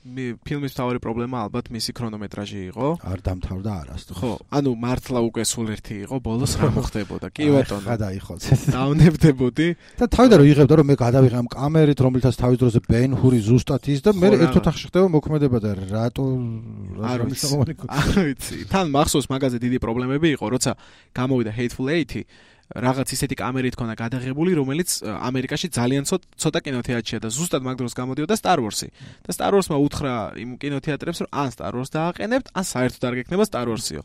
მე ფილმის თავი პრობლემა ალბათ მისი ქრონომეტრაჟი იყო. არ დამთავრდა არასდროს. ხო, ანუ მართლა უკვე სულ ერთი იყო, ბოლოს რა მოხდებოდა? კი ბატონო. ხა დაიხოც. დავნებდებოდი. და თავიდან რომ იღებდა რომ მე გადავიღე ამ კამერით, რომლითაც თავის დროზე ბენ ჰური ზუსტად ის და მე ერთ ოთახში ხდება მოქმედება და რატო არ ვიცი. თან მახსოვს მაგაზე დიდი პრობლემები იყო, როცა გამოვიდა Hateful Eight. რაღაც ისეთი კამერით ქონა გადაღებული, რომელიც ამერიკაში ძალიან ცოტა კინოთეატრია და ზუსტად მაგ დროს გამოდიოდა Star Wars-ი. და Star Wars-მა უთხრა იმ კინოთეატრებს, რომ ან Star Wars დააყენებთ, ან საერთოდ არ გექნება Star Wars-იო.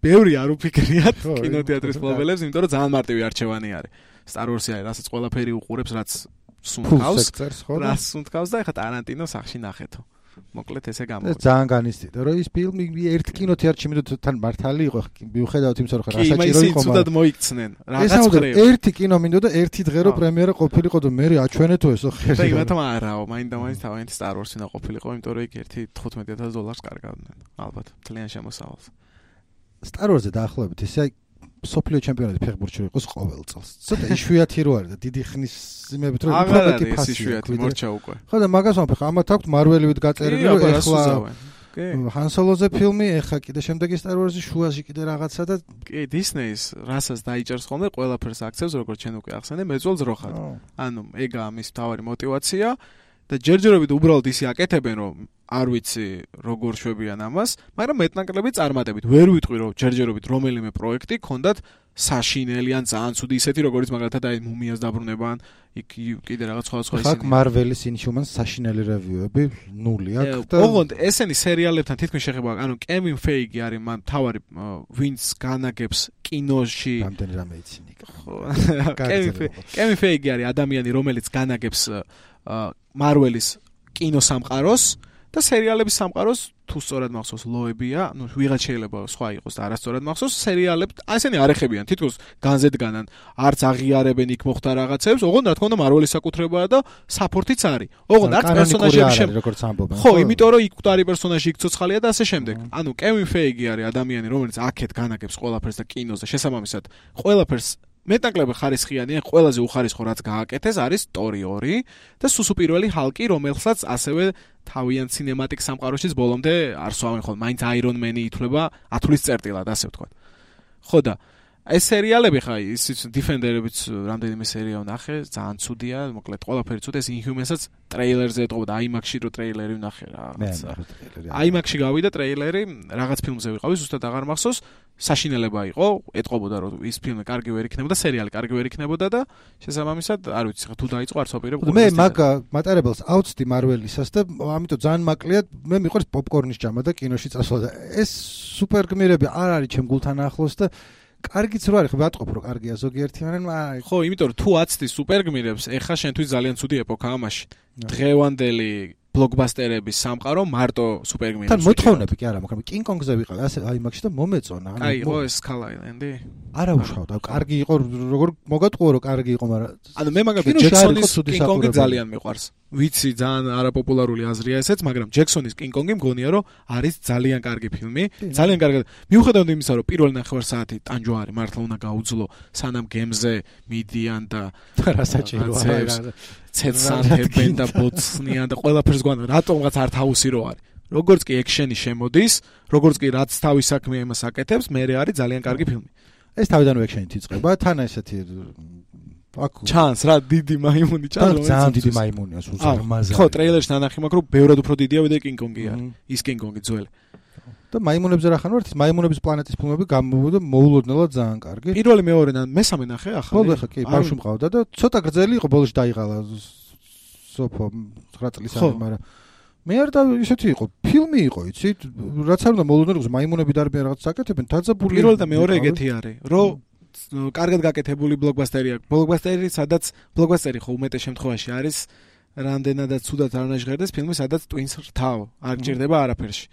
ბევრი არ უფიქრიათ კინოთეატრის ფლობელებს, იმიტომ რომ ძალიან მარტივი არჩევანი არის. Star Wars-ი არის, რასაც ყველაფერი უყურებს, რაც სუნთქავს, რაც სუნთქავს და ეხლა ტარანტინო სახში ნახეთო. მოკლედ ესე გამოვიდა. ძალიან განიცდიდა, რომ ის ფილმი ერთ კინოთეატრში მიდოთ თან მართალი იყო, მიუხედავად იმისა, რომ რა საჭირო იყო, მაგრამ ცუდად მოიქცნენ. რაღაც ხრი. ერთი კინო მინდოდა ერთი დღე რომ პრემიერა ყოფილიყო და მე აჩვენეთო ესო ხერი. და იმათმა არაო, მაინდა მაინც თავიანთი Star Wars-ი ყოფილიყო, იმიტომ რომ იქ ერთი თხუთმეტი ათას დოლარს კარგავდნენ. ალბათ, ძალიან შემოსავალს. Star Wars-ზე დაახლოებით ესე აი სოფლიო ჩემპიონატი ფეხბურთში იყოს ყოველ წელს. ცოტა იშვიათი რო არის და დიდი ხნის იმებით რომ უბრალოდ ფასი იშვიათი მორჩა უკვე. ხო და მაგას ვამბობ, ამათ აქვს მარველივით გაწერილი რომ ეხლა Han Solo-ზე ფილმი, ეხლა კიდე შემდეგი Star Wars-ი შუაში კიდე რაღაცა და კი Disney-ს რასაც დაიჭერს ხოლმე ყველაფერს აქცევს როგორც ჩვენ უკვე ახსენე მეძველს როხად. ანუ ეგაა მის თავარი мотиваცია და ჯერჯერობით უბრალოდ ისი აკეთებენ რომ არ ვიცი როგორ შვებიან ამას, მაგრამ მეტნაკლები წარმატებით. ვერ ვიტყვი რომ ჯერჯერობით რომელიმე პროექტი ქონდათ საშინელი ან ძალიან ცუდი ისეთი როგორც მაგალითად აი მუმიას დაბრუნებან, იქ კიდე რაღაც სხვა სხვა ისინი. აქ Marvel-ის Inhumans საშინელი რევიუები ნული აქვს და ოღონდ ესენი სერიალებთან თითქმის შეხება, ანუ Kevin Feige არის მან თავარი ვინც განაგებს კინოში. რამდენი რამე იცინი. ხო. Kevin Feige არის ადამიანი რომელიც განაგებს Marvel-ის კინოსამყაროს და სერიალების სამყაროს თუ სწორად მახსოვს ლოებია, ну ვიღაც შეიძლება სხვა იყოს და არასწორად მახსოვს, სერიალებს ასენი არ ეხებიან, თითქოს განზედგანან, არც აღიარებენ იქ მოხდა რაღაცებს, ოღონდ რა თქმა უნდა მარველის საკუთრებაა და საპორტიც არის. ოღონდ არც პერსონაჟები შე როგორც ამბობენ. ხო, იმიტომ რომ იქ მკვდარი პერსონაჟი იქ ცოცხალია და ასე შემდეგ. ანუ Kevin Feige არის ადამიანი, რომელიც აქეთ განაგებს ყველაფერს და კინოზე შესაბამისად ყველაფერს მეტნაკლები ხარისხიანია, ყველაზე უხარისხო რაც გააკეთეს არის Tori ორი და სუსუპირველი ჰალკი, რომელსაც ასევე თავიანთ cinematic სამყაროშიც ბოლომდე არ სვავენ ხოლმე, მაინც Iron Man-ი ითვლება ათulis წერტილად, ასე ვთქვათ. ხო და ეს სერიალები ხა ის Defender-ებიც რამდენიმე სერია ვნახე, ძალიან ცუდია, მოკლედ ყველაფერი ცუდია, ეს Inhumans-აც ტრეილერზე ეტყობა და IMAX-ში რო ტრეილერი ვნახე რაღაცა. IMAX-ში გავიდა ტრეილერი, რაღაც ფილმზე ვიყავი, ზუსტად აღარ მახსოვს, საშინელება იყო, ეტყობოდა რომ ის ფილმი კარგი ვერ იქნებოდა, სერიალი კარგი ვერ იქნებოდა და შესაბამისად, არ ვიცი, ხა თუ დაიწყო არც ვაპირებ. მე მაგ მატარებელს აუცდი Marvel-ისას და ამიტომ ძალიან მაკლია, მე მიყვარს პოპკორნის ჯამა და კინოში წასვლა და ეს სუპერ გმირები არ არის ჩემ გულთან ახლოს და კარგიც რო არის, ხო ვატყობ რომ კარგია ზოგიერთი, მაგრამ აი ხო, იმიტომ რომ თუ აცდი სუპერგმირებს, ეხა შენთვის ძალიან ცუდი ეპოქაა ამაში. დღევანდელი ბლოკბასტერების სამყარო მარტო სუპერგმირებს. თან მოთხოვნები კი არა, მაგრამ King Kong-ზე ვიყავი, ასე IMAX-ში და მომეწონა. აი, ხო ეს Skull Island-ი. არა უშავდა, კარგი იყო, როგორ მოგატყუო რომ კარგი იყო, მაგრამ ანუ მე მაგალითად ჯექსონის King Kong-ი ძალიან მიყვარს. ვიცი, ძალიან არაპოპულარული აზრია ესეც, მაგრამ ჯექსონის King Kong-ი მგონია რომ არის ძალიან კარგი ფილმი, ძალიან კარგი. მიუხედავად იმისა, რომ პირველი ნახევარსაათი ტანჯვა არის, მართლა უნდა გაუძლო, სანამ გემზე მიდიან და რასაჭიროა. ცეცანებენ და ბოცნიან და ყველაფერს გვან რატომღაც არ თავისი რო არის. როგორც კი ექშენი შემოდის, როგორც კი რაც თავის საქმე იმას აკეთებს, მე არის ძალიან კარგი ფილმი. ეს თავიდანვე ექშენით იწყება, თან ესეთი აქ ჩანს რა დიდი მაიმუნი ჩანს რომელიც ძალიან დიდი მაიმუნია სულზარმაზა. ხო, ტრეილერში ნანახი მაქვს რომ ბევრად უფრო დიდია ვიდრე King Kong-ი არის. ის King Kong-ი ძველი. და მაიმუნებზე რა ხან ვართ, მაიმუნების პლანეტის ფილმები გამოვიდა მოულოდნელად ძალიან კარგი. პირველი მეორე და მესამე ნახე ახალი. ხო, ხა კი, ბავშვი მყავდა და ცოტა გრძელი იყო, ბოლოს დაიღალა სოფო ცხრა წლის არის, მაგრამ მე არ და ისეთი იყო, ფილმი იყო, იცით, რაც არ უნდა მოულოდნელი იყოს, მაიმუნები დარბიან რაღაც საკეთებენ, დაძაბული. პირველი და მეორე ეგეთი არის, რომ კარგად გაკეთებული ბლოკბასტერია. ბლოკბასტერი, სადაც ბლოკბასტერი ხო უმეტეს შემთხვევაში არის რამდენადაც ცუდად არ ნაჟღერდეს ფილმი, სადაც twins რთავ არ გჭირდება არაფერში.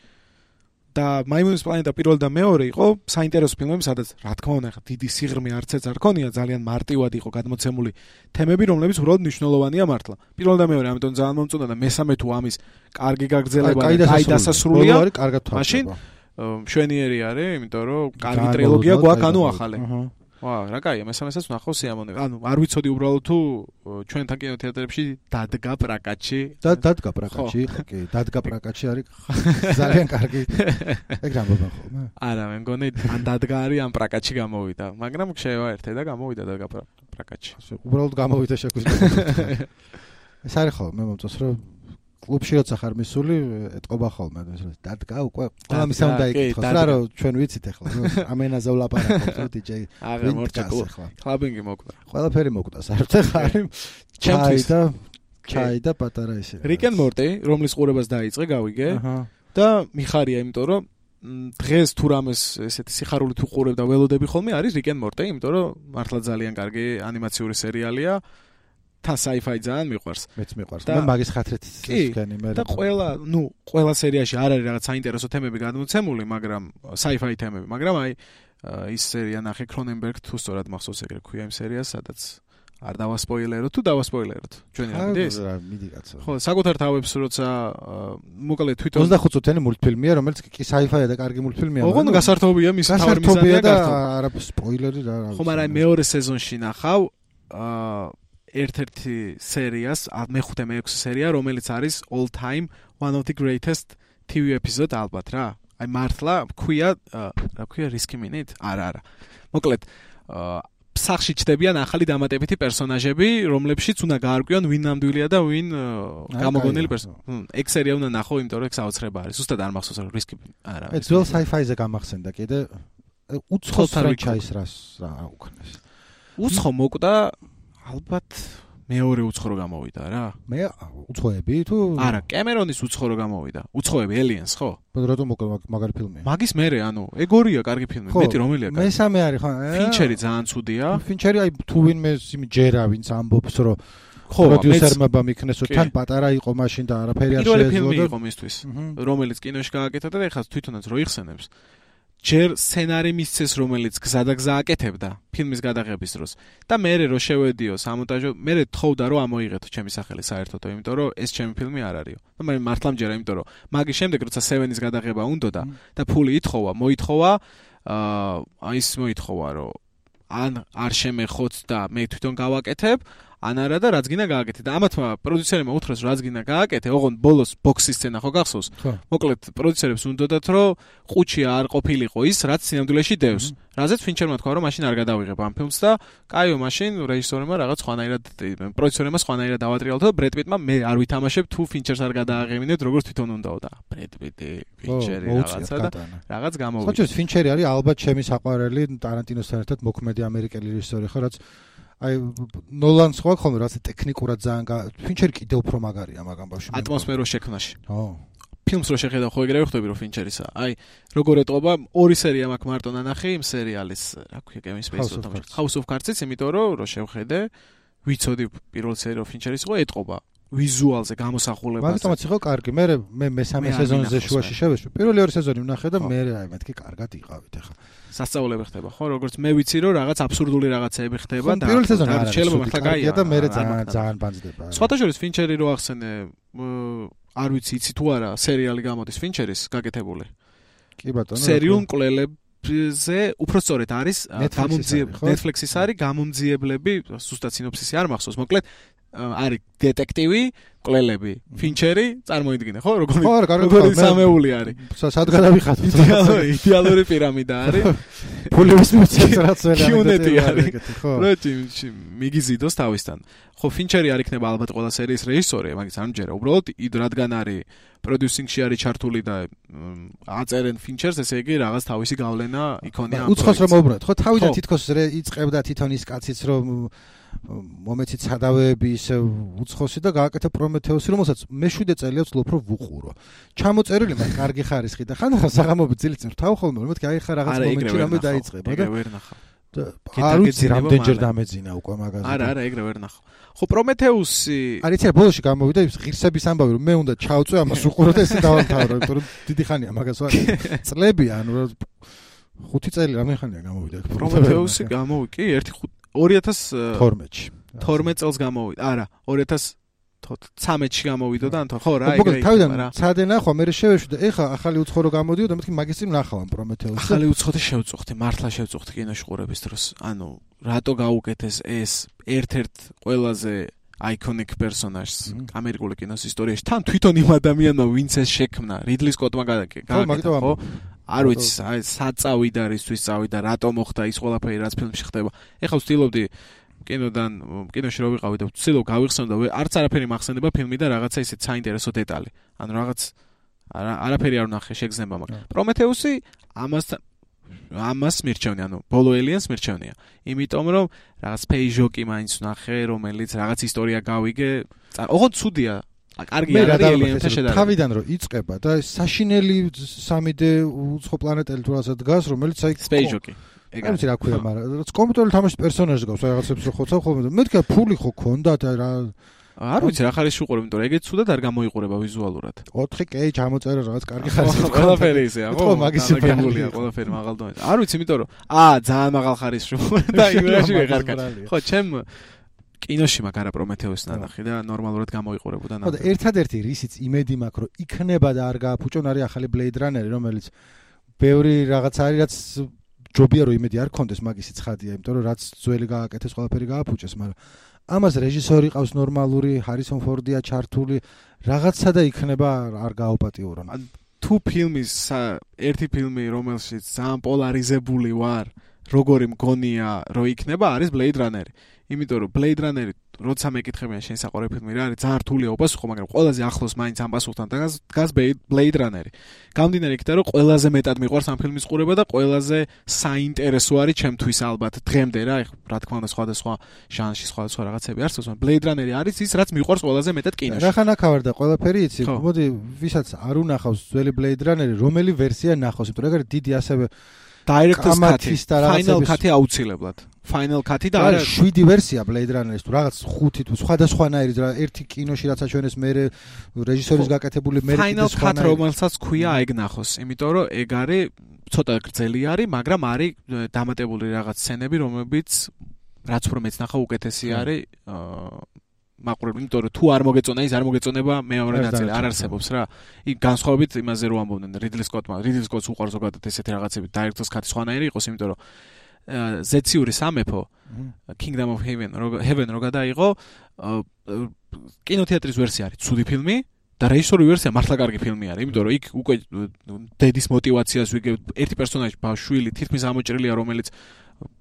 და მაიმუნის პლანეტა პირველი და მეორე იყო საინტერესო ფილმები, სადაც რა თქმა უნდა, ხა დიდი სიღრმე არცეც არ ქონია, ძალიან მარტივად იყო გადმოცემული თემები, რომლებიც უბრალოდ მნიშვნელოვანია მართლა. პირველი და მეორე, ამიტომ ძალიან მომწონდა და მესამე თუ ამის კარგი გაგრძელება და კაი დასასრულია, მაშინ მშვენიერი არის, იმიტომ რომ კარგი ტრილოგია გვაქვს, ანუ ახალი. ვა, რა კაია, მესამესაც ვნახავ სიამოვნებით. ანუ არ ვიცოდი უბრალოდ თუ ჩვენთან კინოთეატრებში დადგა პრაკატში. და დადგა პრაკატში, კი, დადგა პრაკატში არის ძალიან კარგი. ეგ რამბობენ ხოლმე? არა, მე მგონი ან დადგა არის, ან პრაკატში გამოვიდა, მაგრამ შევა ერთე და გამოვიდა დადგა პრაკატში. უბრალოდ გამოვიდა შეგვიძლია. ეს არის ხო, მე მომწონს რომ კლუბში როცა ხარ მისული, ეტყობა ხოლმე, დადგა უკვე ყველა მისა უნდა იკითხოს, რა რომ ჩვენ ვიცით ახლა, ამენაზე ვლაპარაკობთ, რომ დიჯეი აღარ მორჩა კლაბინგი მოკვდა. ყველაფერი მოკვდა, საერთოდ ხარი. ჩაი და ჩაი და პატარა ისე. Rick and Morty, რომლის ყურებას დაიწყე, გავიგე. და მიხარია, იმიტომ რომ დღეს თუ რამეს ესეთი სიხარული თუ ყურებ და ველოდები ხოლმე არის Rick and Morty, იმიტომ რომ მართლა ძალიან კარგი ანიმაციური სერიალია. თან sci-fi ძალიან მიყვარს. მეც მიყვარს. მე მაგის ხათრით ისქენი მე. და ყველა, ნუ, ყველა სერიაში არ არის რაღაც საინტერესო თემები გადმოცემული, მაგრამ sci-fi თემები, მაგრამ აი ის სერია ნახე Cronenberg თუ სწორად მახსოვს ეგრე ქვია იმ სერიას, სადაც არ დავასპოილეროთ თუ დავასპოილეროთ. ჩვენი ამიდეს. რა, მიდი კაცო. ხო, საკუთარ თავებს როცა მოკლედ თვითონ ოცდახუთ წუთიანი მულტფილმია, რომელიც კი sci-fi-ა და კარგი მულტფილმია. ოღონდ გასართობია მის თავი მიზანია და არა სპოილერი რა. ხო, მაგრამ მეორე სეზონში ნახავ აა ერთ-ერთი სერიას, მეხუთე მეექვსე სერია, რომელიც არის all time one of the greatest T V episode ალბათ რა. აი მართლა ქვია, რა ქვია risky minute? არა, არა. მოკლედ, სახში ჩდებიან ახალი დამატებითი პერსონაჟები, რომლებშიც უნდა გაარკვიონ ვინ ნამდვილია და ვინ გამოგონილი პერსონაჟი. ეგ სერია უნდა ნახო, იმიტომ რომ ეგ საოცრება არის. ზუსტად არ მახსოვს რა risky არა. ეს ძველ sci-fi-ზე გამახსენდა კიდე უცხოს ფრანჩაიზს რას რა უკნეს. უცხო მოკვდა ალბათ მეორე უცხო რო გამოვიდა რა. მე უცხოები თუ არა, კემერონის უცხო რო გამოვიდა. უცხოები Aliens ხო? რატომ მოკლედ მაგარი ფილმია? მაგის მერე, ანუ ეგ ორია კარგი ფილმი, მეტი რომელია კარგი. მესამე არის ხო? ფინჩერი ძალიან ცუდია. ფინჩერი აი თუ ვინმე იმ ჯერა ვინც ამბობს რომ ხო, პროდიუსერმა მიქნეს რომ თან პატარა იყო მაშინ და არაფერი არ შეეძლო და პირველი ფილმი იყო მისთვის, რომელიც კინოში გააკეთა და ეხლა თვითონაც რო იხსენებს. ჯერ სცენარი მისცეს, რომელიც გზა და გზა აკეთებდა ფილმის გადაღების დროს და მერე რო შევედიო სამონტაჟო, მერე თხოვდა რომ ამოიღეთო ჩემი სახელი საერთოდო, იმიტომ რომ ეს ჩემი ფილმი არ არისო. და მე მართლა მჯერა, იმიტომ რომ მაგის შემდეგ როცა სევენის გადაღება უნდოდა და ფული ითხოვა, მოითხოვა, აა ის მოითხოვა რომ ან არ შემეხოც და მე თვითონ გავაკეთებ, ან არა და რაც გინდა გააკეთე და ამათმა პროდიუსერებმა უთხრეს რაც გინდა გააკეთე, ოღონდ ბოლოს ბოქსის სცენა ხო გახსოვს? მოკლედ პროდიუსერებს უნდათ რომ ყუჩი არ ყოფილიყო ის, რაც სინამდვილეში დევს. რაზეც ფინჩერმა თქვა რომ მაშინ არ გადავიღებ ამ ფილმს და კაიო მაშინ რეჟისორებმა რაღაც სხვანაირად პროდიუსერებმა სხვანაირად დავატრიალოთ და ბრედ პიტმა მე არ ვითამაშებ თუ ფინჩერს არ გადააღებინებთ როგორც თვითონ უნდაო და ბრედ პიტი ფინჩერი რაღაცა და რაღაც გამოვიდა. ხო, ფინჩერი არის ალბათ ჩემი საყვარელი ტარანტინოსთან ერთად მოქმედი ამერიკელი რეჟისორი ხო, რაც აი ნოლანს ხო ხოლმე რაც ტექნიკურად ძალიან ფინჩერი კიდევ უფრო მაგარია მაგ ამბავში. ატმოსფეროს შექმნაში. ხო. ფილმს რო შეხედავ ხო ეგრევე ხვდები რომ ფინჩერისა. აი როგორ ეტყობა ორი სერია მაქვს მარტო ნანახი იმ სერიალის, რა ქვია, Game Space-ო და House of Cards-იც, იმიტომ რომ რო შევხედე, ვიცოდი პირველ სერიალ ფინჩერის ხო ეტყობა ვიზუალზე გამოსახულებაზე. მაგიტომაც იყო კარგი. მე მე მესამე სეზონზე შუაში შევეშვი. პირველი ორი სეზონი ვნახე და მე აი მეთქი კარგად იყავით ახლა. სასწაულები ხდება ხო, როგორც მე ვიცი რომ რაღაც აბსურდული რაღაცეები ხდება და პირველი სეზონი არის შეიძლება მართლა კაია და მე ძალიან ძალიან ბანძდება. სხვათა შორის ფინჩერი რო ახსენე, არ ვიცი იცი თუ არა სერიალი გამოდის ფინჩერის გაკეთებული. კი ბატონო. სერიულ მკვლელებზე უფრო სწორედ არის გამომძიებლები, Netflix-ის არის გამომძიებლები, ზუსტად სინოფსისი არ მახსოვს, მოკლედ არის დეტექტივი, მკვლელები, ფინჩერი, წარმოიდგინე, ხო? როგორი როგორი სამეული არის. სად გადავიხატოთ? იდეალური პირამიდა არის. ფულების მოცემაც რაც ვერ კიუნეტი არის. ხო. რა მიგიზიდოს თავისთან. ხო, ფინჩერი არ იქნება ალბათ ყველა სერიის რეჟისორი, მაგის არ მჯერა. უბრალოდ რადგან არის პროდიუსინგში არის ჩართული და აწერენ ფინჩერს, ესე იგი რაღაც თავისი გავლენა იქონია. უცხოს რომ მოუბრუნოთ, ხო, თავიდან თითქოს იწყებდა თვითონ ის კაციც რომ მომეცით სადავეები ისე უცხოსი და გააკეთა პრომეთეუსი, რომელსაც მე შვიდ წელია ვცდილობ რომ ვუყურო. ჩამოწერილი მაგ კარგი ხარისხი და ხანდახან საღამოობით ძილით ვთავ ხოლმე, მეთქი აი ხა რაღაც მომენტში რამე დაიწყება და ვერ ნახავ. არ ვიცი რამდენჯერ დამეძინა უკვე მაგაზე. არა, არა, ეგრე ვერ ნახავ. ხო, პრომეთეუსი არის ცე ბოლოში გამოვიდა ის ღირსების ამბავი რომ მე უნდა ჩავწვე ამას უყურო და ესე დავამთავრო, იმიტომ რომ დიდი ხანია მაგას ვარ. წლებია, ანუ ხუთი წელი რამე ხანია გამოვიდა. პრომეთეუსი გამოვიდა კი ერთი ორი ათას თორმეტში. თორმეტ წელს გამოვიდა. არა, ორი ათას ცხრამეტში გამოვიდა და ხო რა, ეგრე. მოკლედ თავიდან ცადე ნახვა, მე შევეშვი და ეხა ახალი უცხო რო გამოდიო და მეთქი მაგის წინ ნახავ ამ პრომეთეუსს. ახალი უცხოთი შევწუხდი, მართლა შევწუხდი კინოში ყურების დროს. ანუ რატო გაუკეთეს ეს ერთ-ერთ ყველაზე iconic personages ამერიკული კინოს ისტორიაში. თან თვითონ იმ ადამიანმა ვინც ეს შექმნა, რიდლი სკოტმა გააკეთა, ხო? არ ვიცი, აი საწავიდა რისთვის წავიდა, რატო მოხდა ის ყველაფერი რაც ფილმში ხდება. ეხლა ვცდილობდი კინოდან კინოში რო ვიყავი და ვცდილობ გავიხსენო და არც არაფერი მახსენდება ფილმი და რაღაცა ისეთ საინტერესო დეტალი. ანუ რაღაც არაფერი არ ვნახე შეგზნება მაგ. პრომეთეუსი ამასთან ამას მირჩევნია, ანუ ბოლო ელიენს მირჩევნია. იმიტომ რომ რაღაც პეიჟოკი მაინც ვნახე, რომელიც რაღაც ისტორია გავიგე. ოღონდ ცუდია. კარგი არ არის ელიენთან შედარება. თავიდან რომ იწყება და საშინელი სამი დე უცხო პლანეტელი თუ რაღაცა დგას, რომელიც აი პეიჟოკი. ეგ არის რა ქვია, მაგრამ რაც კომპიუტერული თამაშის პერსონაჟი გავს, რაღაცებს რო ხოცავ ხოლმე და მეთქი ფული ხო ქონდათ რა არ ვიცი რა ხარის უყურებ, იმიტომ რომ ეგეც ცუდად არ გამოიყურება ვიზუალურად. ოთხი კეი ჩამოწერა რაღაც კარგი ხარისხი. ყველაფერი ისეა, ხო? მაგისი ფერმულია, ყველაფერი მაღალ დონეზე. არ ვიცი, იმიტომ რომ აა ძალიან მაღალ ხარისხი და იმაში ვეღარ კარ. ხო, ჩემ კინოში მაგ არა პრომეთეუსს ნანახი და ნორმალურად გამოიყურებოდა. ხო და ერთადერთი რისიც იმედი მაქვს რომ იქნება და არ გააფუჭონ არის ახალი Blade Runner-ი, რომელიც ბევრი რაღაც არის, რაც ჯობია რომ იმედი არ ქონდეს, მაგისი ცხადია, იმიტომ რომ რაც ძველი გააკეთეს, ყველაფერი გააფუჭეს, მაგრამ ამას რეჟისორი ყავს ნორმალური, Harrison Ford-ია ჩართული, რაღაცა და იქნება არ გააუპატიურონ. თუ ფილმის ერთი ფილმი, რომელშიც ძალიან პოლარიზებული ვარ, როგორი მგონია რომ იქნება, არის Blade Runner-ი. იმიტომ რომ Blade Runner-ი როცა მეკითხებიან შენ საყვარელი ფილმი რა არის, ძალიან რთულია უპასუხო, მაგრამ ყველაზე ახლოს მაინც ამ პასუხთან დგას Blade Runner-ი. გამდინარე იქიდან რომ ყველაზე მეტად მიყვარს ამ ფილმის ყურება და ყველაზე საინტერესო არის ჩემთვის ალბათ დღემდე რა, რა თქმა უნდა სხვადასხვა ჟანრში სხვადასხვა რაღაცები არსებობს, მაგრამ Blade Runner-ი არის ის, რაც მიყვარს ყველაზე მეტად კინოში. რა ხანაკავარ და ყველაფერი იცი, მოდი ვისაც არ უნახავს ძველი Blade Runner-ი, რომელი ვერსია ნახავს, იმიტომ რომ ეგ არის დიდი ასევე Director's Cut-ი, Final Cut-ი აუცილებლად. Final Cut-ი და არა შვიდი ვერსია Blade Runner-ის თუ რაღაც ხუთი თუ სხვადასხვანაირი რა ერთი კინოში რაც აჩვენეს მე რეჟისორის გაკეთებული მე Final Cut რომელსაც ქვია ეგ ნახოს, იმიტომ რომ ეგ არის ცოტა გრძელი არის, მაგრამ არის დამატებული რაღაც სცენები, რომლებიც რაც უფრო მეც ნახა უკეთესი არის მაყურებელი, იმიტომ რომ თუ არ მოგეწონა ის არ მოგეწონება მეორე ნაწილი არ არსებობს რა. იქ განსხვავებით იმაზე რომ ამბობდნენ Ridley Scott-მა, Ridley Scott-ს უყვარს ზოგადად ესეთი რაღაცები, Director's Cut-ი სხვანაირი იყოს, იმიტომ რომ ზეციური სამეფო Kingdom of Heaven Heaven რო გადაიღო კინოთეატრის ვერსია არის ცუდი ფილმი და რეჟისორული ვერსია მართლა კარგი ფილმი არის, იმიტომ რომ იქ უკვე დედის мотиваციას ვიგებ, ერთი პერსონაჟი ბავშვილი თითქმის ამოჭრილია, რომელიც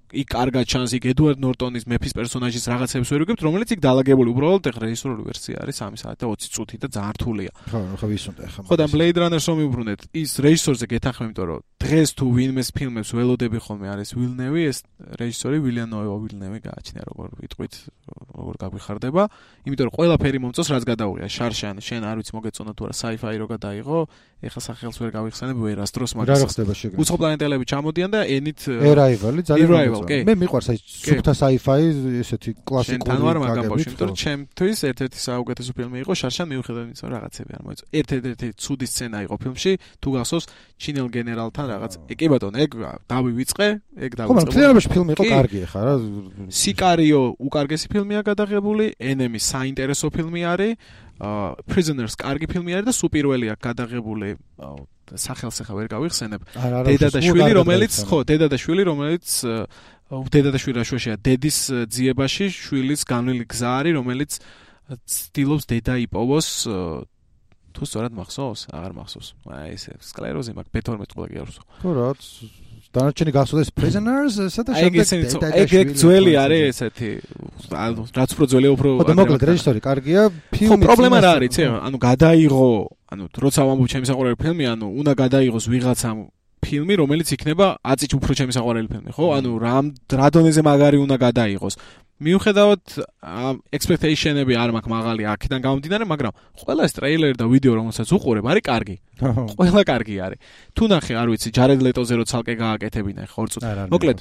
იქ კარგად ჩანს, იქ ედუარდ ნორტონის მეფის პერსონაჟის რაღაცებს ვერ ვიგებთ, რომელიც იქ დაალაგებული უბრალოდ ეხლა რეჟისორული ვერსია არის სამი საათი და ოცი წუთი და ძალიან რთულია. ხო, ხო ვისუნდა ეხლა. ხო და Blade Runner-ს რომ ვიუბრუნეთ, ის რეჟისორზე გეთანხმები, იმიტომ რომ დღეს თუ ვინმეს ფილმებს ველოდები ხოლმე არის Villeneuve, ეს რეჟისორი Villeneuve Villeneuve გააჩნია როგორ ვიტყვით, როგორ გაგვიხარდება, იმიტომ რომ ყველაფერი მომწონს, რაც გადაუღია. შარშან, შენ არ ვიცი მოგეწონა თუ არა sci-fi რო გადაიღო, ეხლა სახელს ვერ გავიხსენებ, ვერას დროს მაგას. რა ხდება შეგა? უცხოპლანეტელები ჩამოდიან და ენით Arrival-ი ძალიან კი. მე მიყვარს აი სუფთა sci-fi ესეთი კლასიკური შენ თან ვარ მაგაბავშვი, იმიტომ რომ ჩემთვის ერთ-ერთი საუკეთესო ფილმი იყო შარშან მიუხედავად იმისა, რომ რაღაცები არ მოეწონა. ერთ-ერთი ცუდი სცენა იყო ფილმში, თუ გახსოვს ჩინელ გენერალთან რაღაც. კი ბატონო, ეგ დავივიწყე, ეგ დავიწყე. ხო, მაგრამ მთლიანობაში ფილმი იყო კარგი ხა რა. სიკარიო უკარგესი ფილმია გადაღებული, Enemy საინტერესო ფილმი არის, Prisoners კარგი ფილმი არის და სუპირველი აქვს გადაღებული სახელს ახლა ვერ გავიხსენებ. დედა და შვილი, რომელიც ხო, დედა და შვილი, რომელიც დედა და შვილი რაშუაშია დედის ძიებაში შვილის განვლილი გზა არის, რომელიც ცდილობს დედა იპოვოს თუ სწორად მახსოვს, აღარ მახსოვს. აი ესე სკლეროზი მაქვს ბე თორმეტ ყველა გიარსო. ხო რა, დანარჩენი გახსოვდეს Prisoners, ესა და შემდეგ ეგ ეგ ძველი არის ესეთი, რაც უფრო ძველი უფრო ხო და მოკლედ რეჟისორი კარგია, ფილმი ხო პრობლემა რა არის, ცე, ანუ გადაიღო, ანუ როცა ვამბობ ჩემი საყვარელი ფილმი, ანუ უნდა გადაიღოს ვიღაცამ ფილმი, რომელიც იქნება აწიც უფრო ჩემი საყვარელი ფილმი, ხო? ანუ რა რა დონეზე მაგარი უნდა გადაიღოს. მიუხედავად expectation-ები არ მაქვს მაღალი აქედან გამომდინარე, მაგრამ ყველა ეს ტრეილერი და ვიდეო რომელსაც უყურებ, არის კარგი. ყველა კარგი არის. თუ ნახე, არ ვიცი, ჯარედ ლეტოზე რო ცალკე გააკეთებინა ხა ორ წუთი. მოკლედ,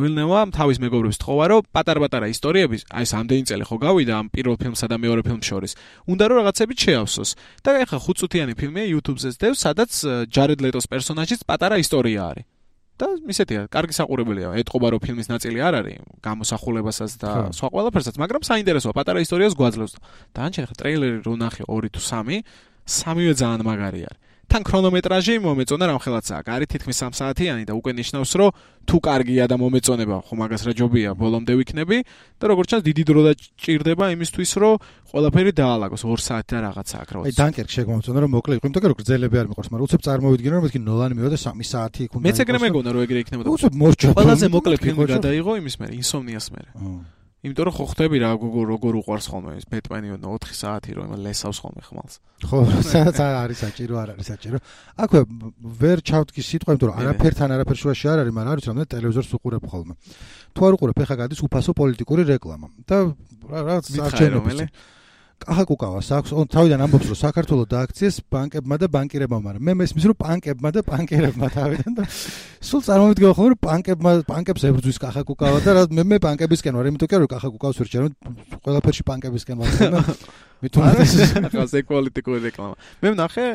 ვილნევამ თავის მეგობრებს თხოვა, რომ პატარ-პატარა ისტორიები, აი ეს ამდენი წელი ხო გავიდა ამ პირველ ფილმსა და მეორე ფილმს შორის. უნდა რომ რაღაცები შეავსოს. და ეხლა ხუთ წუთიანი ფილმია YouTube-ზეც დევს, სადაც ჯარედ ლეტოს პერსონაჟის პატარა ისტორია არის. და ისეთია, კარგი საყურებელია. ეთყობა რომ ფილმის ნაწილი არ არის, გამოსახულებასაც და სხვა ყველაფერსაც, მაგრამ საინტერესოა, პატარა ისტორიას გვაძლევს. დანარჩენი ხა ტრეილერი რო ნახე ორი თუ სამი, სამივე ძალიან მაგარი არის. თან ქრონომეტრაჟი მომეწონა რამხელაცაა. არის თითქმის სამ საათიანი და უკვე ნიშნავს, რომ თუ კარგია და მომეწონება, ხო მაგას რა ჯობია, ბოლომდე ვიქნები და როგორც ჩანს, დიდი დრო დაჭირდება იმისთვის, რომ ყველაფერი დაალაგოს ორ საათი და რაღაცა აქ რა. აი დანკერკ შეგმომწონა რომ მოკლე იყო, იმიტომ რომ გრძელები არ მიყვარს, მაგრამ უცებ წარმოვიდგინე რომ მეთქი ნოლანი მივიდა სამი საათი იქ უნდა. მეც ეგრე მეგონა რომ ეგრე იქნებოდა. უცებ მორჩა. ყველაზე მოკლე ფილმი გადაიღო იმის მერე, Insomnia-ს მერე. იმიტომ რომ ხო ხვდები რა როგორ უყვარს ხოლმე ეს ბეტმენი ოთხი საათი რომ ლესავს ხოლმე ხმალს. ხო, სადაც არის საჭირო, არ არის საჭირო. აქვე ვერ ჩავთქი სიტყვა, იმიტომ რომ არაფერთან არაფერ შუაში არ არის, მაგრამ არ ვიცი რამდენი ტელევიზორს უყურებ ხოლმე. თუ არ უყურებ, ეხა გადის უფასო პოლიტიკური რეკლამა. და რაღაც არჩევნები. კახაკუკავას აქვს, on თავიდან ამბობს რომ საქართველოს დააქციეს ბანკებმა და ბანკირებმა, მაგრამ მე მესმის რომ ბანკებმა და ბანკირებმა თავიდან და სულ წარმოვიდგინე ხოლმე რომ ბანკებმა ბანკებს ებრძვის კახაკუკავა და რა მე მე ბანკებისკენ ვარ, იმიტომ რომ კახაკუკავს ვერ ჩერმ, ყველაფერში ბანკებისკენ ვარ და მithumetes ახლა ეს პოლიტიკური რეკლამა. მე ვნახე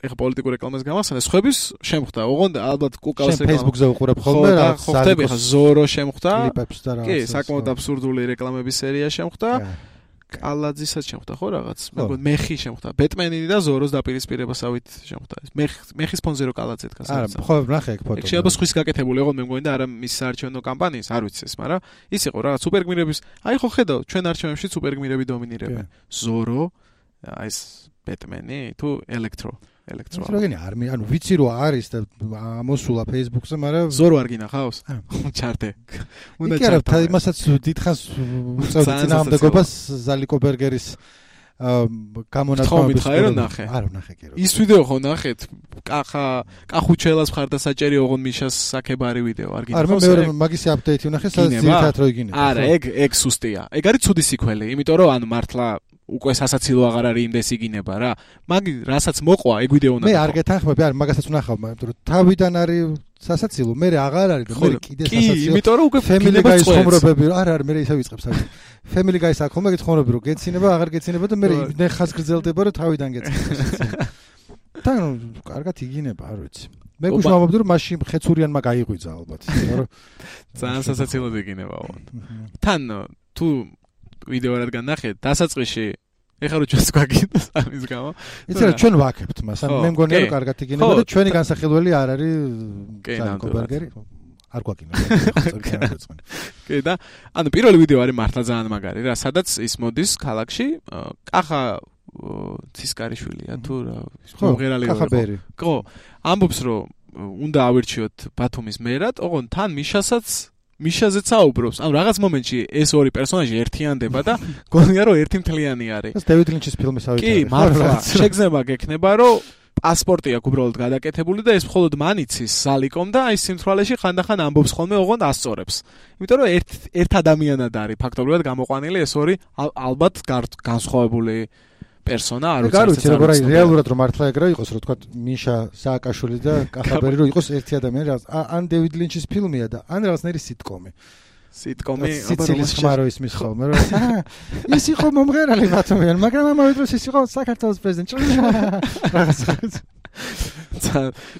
ეხა პოლიტიკურ რეკლამას გამახსენე, სხვების შემხვდა, ოღონდ ალბათ კუკავს რეკლამა. Facebook-ზე უყურებ ხოლმე რა, ხო ხდები ხა ზორო შემხვდა. კლიპებს და რა. კი, საკმაოდ აბსურდული რეკლამების სერია შემხვდა. კალაძისაც შემხვდა ხო რაღაც? მეგონი მეხი შემხვდა. ბეტმენი და ზოროს დაპირისპირებასავით შემხვდა. მეხ მეხის ფონზე რო კალაძე დგას. არა, ხო, ნახე ეგ ფოტო. ეგ შეიძლება სხვის გაკეთებული იყო, მე მგონი და არა მის საარჩევნო კამპანიის, არ ვიცი ეს, მაგრამ ის იყო რაღაც სუპერგმირების, აი ხო ხედავ, ჩვენ არჩევნებში სუპერგმირები დომინირებენ. ზორო, აი ეს ბეტმენი თუ ელექტრო ელექტრო. როგორია არ მე ანუ ვიცი რომ არის და ამოსულა Facebook-ზე, მაგრამ ზორო არ გინახავს? ჩარტე. უნდა ჩარტე. კი, არა, იმასაც დიდხანს უწევდი წინააღმდეგობას ზალიკო ბერგერის გამონათქვამების. ხო, ნახე. არა, ნახე კი რა. ის ვიდეო ხო ნახეთ? კახა, კახუჩელას მხარდასაჭერი ოღონ მიშას საკებარი ვიდეო არ გინახავს? არა, მე მაგისი აპდეიტი ვნახე, სადაც ძირითადად რო იგინებ. არა, ეგ ეგ სუსტია. ეგ არის ცუდი სიკველი, იმიტომ რომ ანუ მართლა უკვე სასაცილო აღარ არის იმდეს იგინება რა. მაგ რასაც მოყვა ეგ ვიდეო უნდა. მე არ გეთანხმები, არა, მაგასაც ვნახავ, იმიტომ რომ თავიდან არის სასაცილო, მე აღარ არის, მე კიდე სასაცილო. კი, იმიტომ რომ უკვე Family Guy-ის ხომრობები, არა, არა, მე ისე ვიწყებს აი. Family Guy-ის აქ ხომ ეგეთ ხომრობები, რომ გეცინება, აღარ გეცინება და მე ნეხას გრძელდება, რომ თავიდან გეცინება. თან კარგად იგინება, არ ვიცი. მე გუშავობდი რომ მაშინ ხეცურიანმა გაიღვიძა ალბათ, მაგრამ ძალიან სასაცილოდ იგინება. თან თუ ვიდეო რადგან ნახე, დასაწყისში ეხლა რო ჩვენს გვაგინდას ამის გამო. იცი რა ჩვენ ვაკებთ მას, ანუ მე მგონია რომ კარგად იგინება და ჩვენი განსახილველი არ არის ზალიკო ბერგერი. არ გვაკინო. კი და ანუ პირველი ვიდეო არის მართლა ძალიან მაგარი რა, სადაც ის მოდის ქალაქში, კახა ცისკარიშვილია თუ რა, მომღერალი კახაბერი. ხო, ამბობს რომ უნდა ავირჩიოთ ბათუმის მერად, ოღონ თან მიშასაც მიშაზეც აუბრობს. ანუ რაღაც მომენტში ეს ორი პერსონაჟი ერთიანდება და გონია რომ ერთი მთლიანი არის. ეს დევიდ ლინჩის ფილმის ავიწყე. კი, მართლა შეგრძნება გექნება რომ პასპორტი აქვს უბრალოდ გადაკეთებული და ეს მხოლოდ მანიცის სალიკომ და აი სიმთვრალეში ხანდახან ამბობს ხოლმე ოღონდ ასწორებს. იმიტომ რომ ერთ ერთ ადამიანად არის ფაქტობრივად გამოყვანილი ეს ორი ალბათ განსხვავებული პერსონა არ ვიცი. არ ვიცი როგორ არის რეალურად რომ მართლა ეგრე იყოს რომ თქვა მიშა სააკაშვილი და კახაბერი რომ იყოს ერთი ადამიანი რაღაც ან დევიდ ლინჩის ფილმია და ან რაღაცნაირი სიტკომი. სიტკომი სიცილის ხმარო ისმის ხოლმე რომ ის იყო მომღერალი ბათუმიდან, მაგრამ ამავე დროს ის იყო საქართველოს პრეზიდენტი. რაღაცა.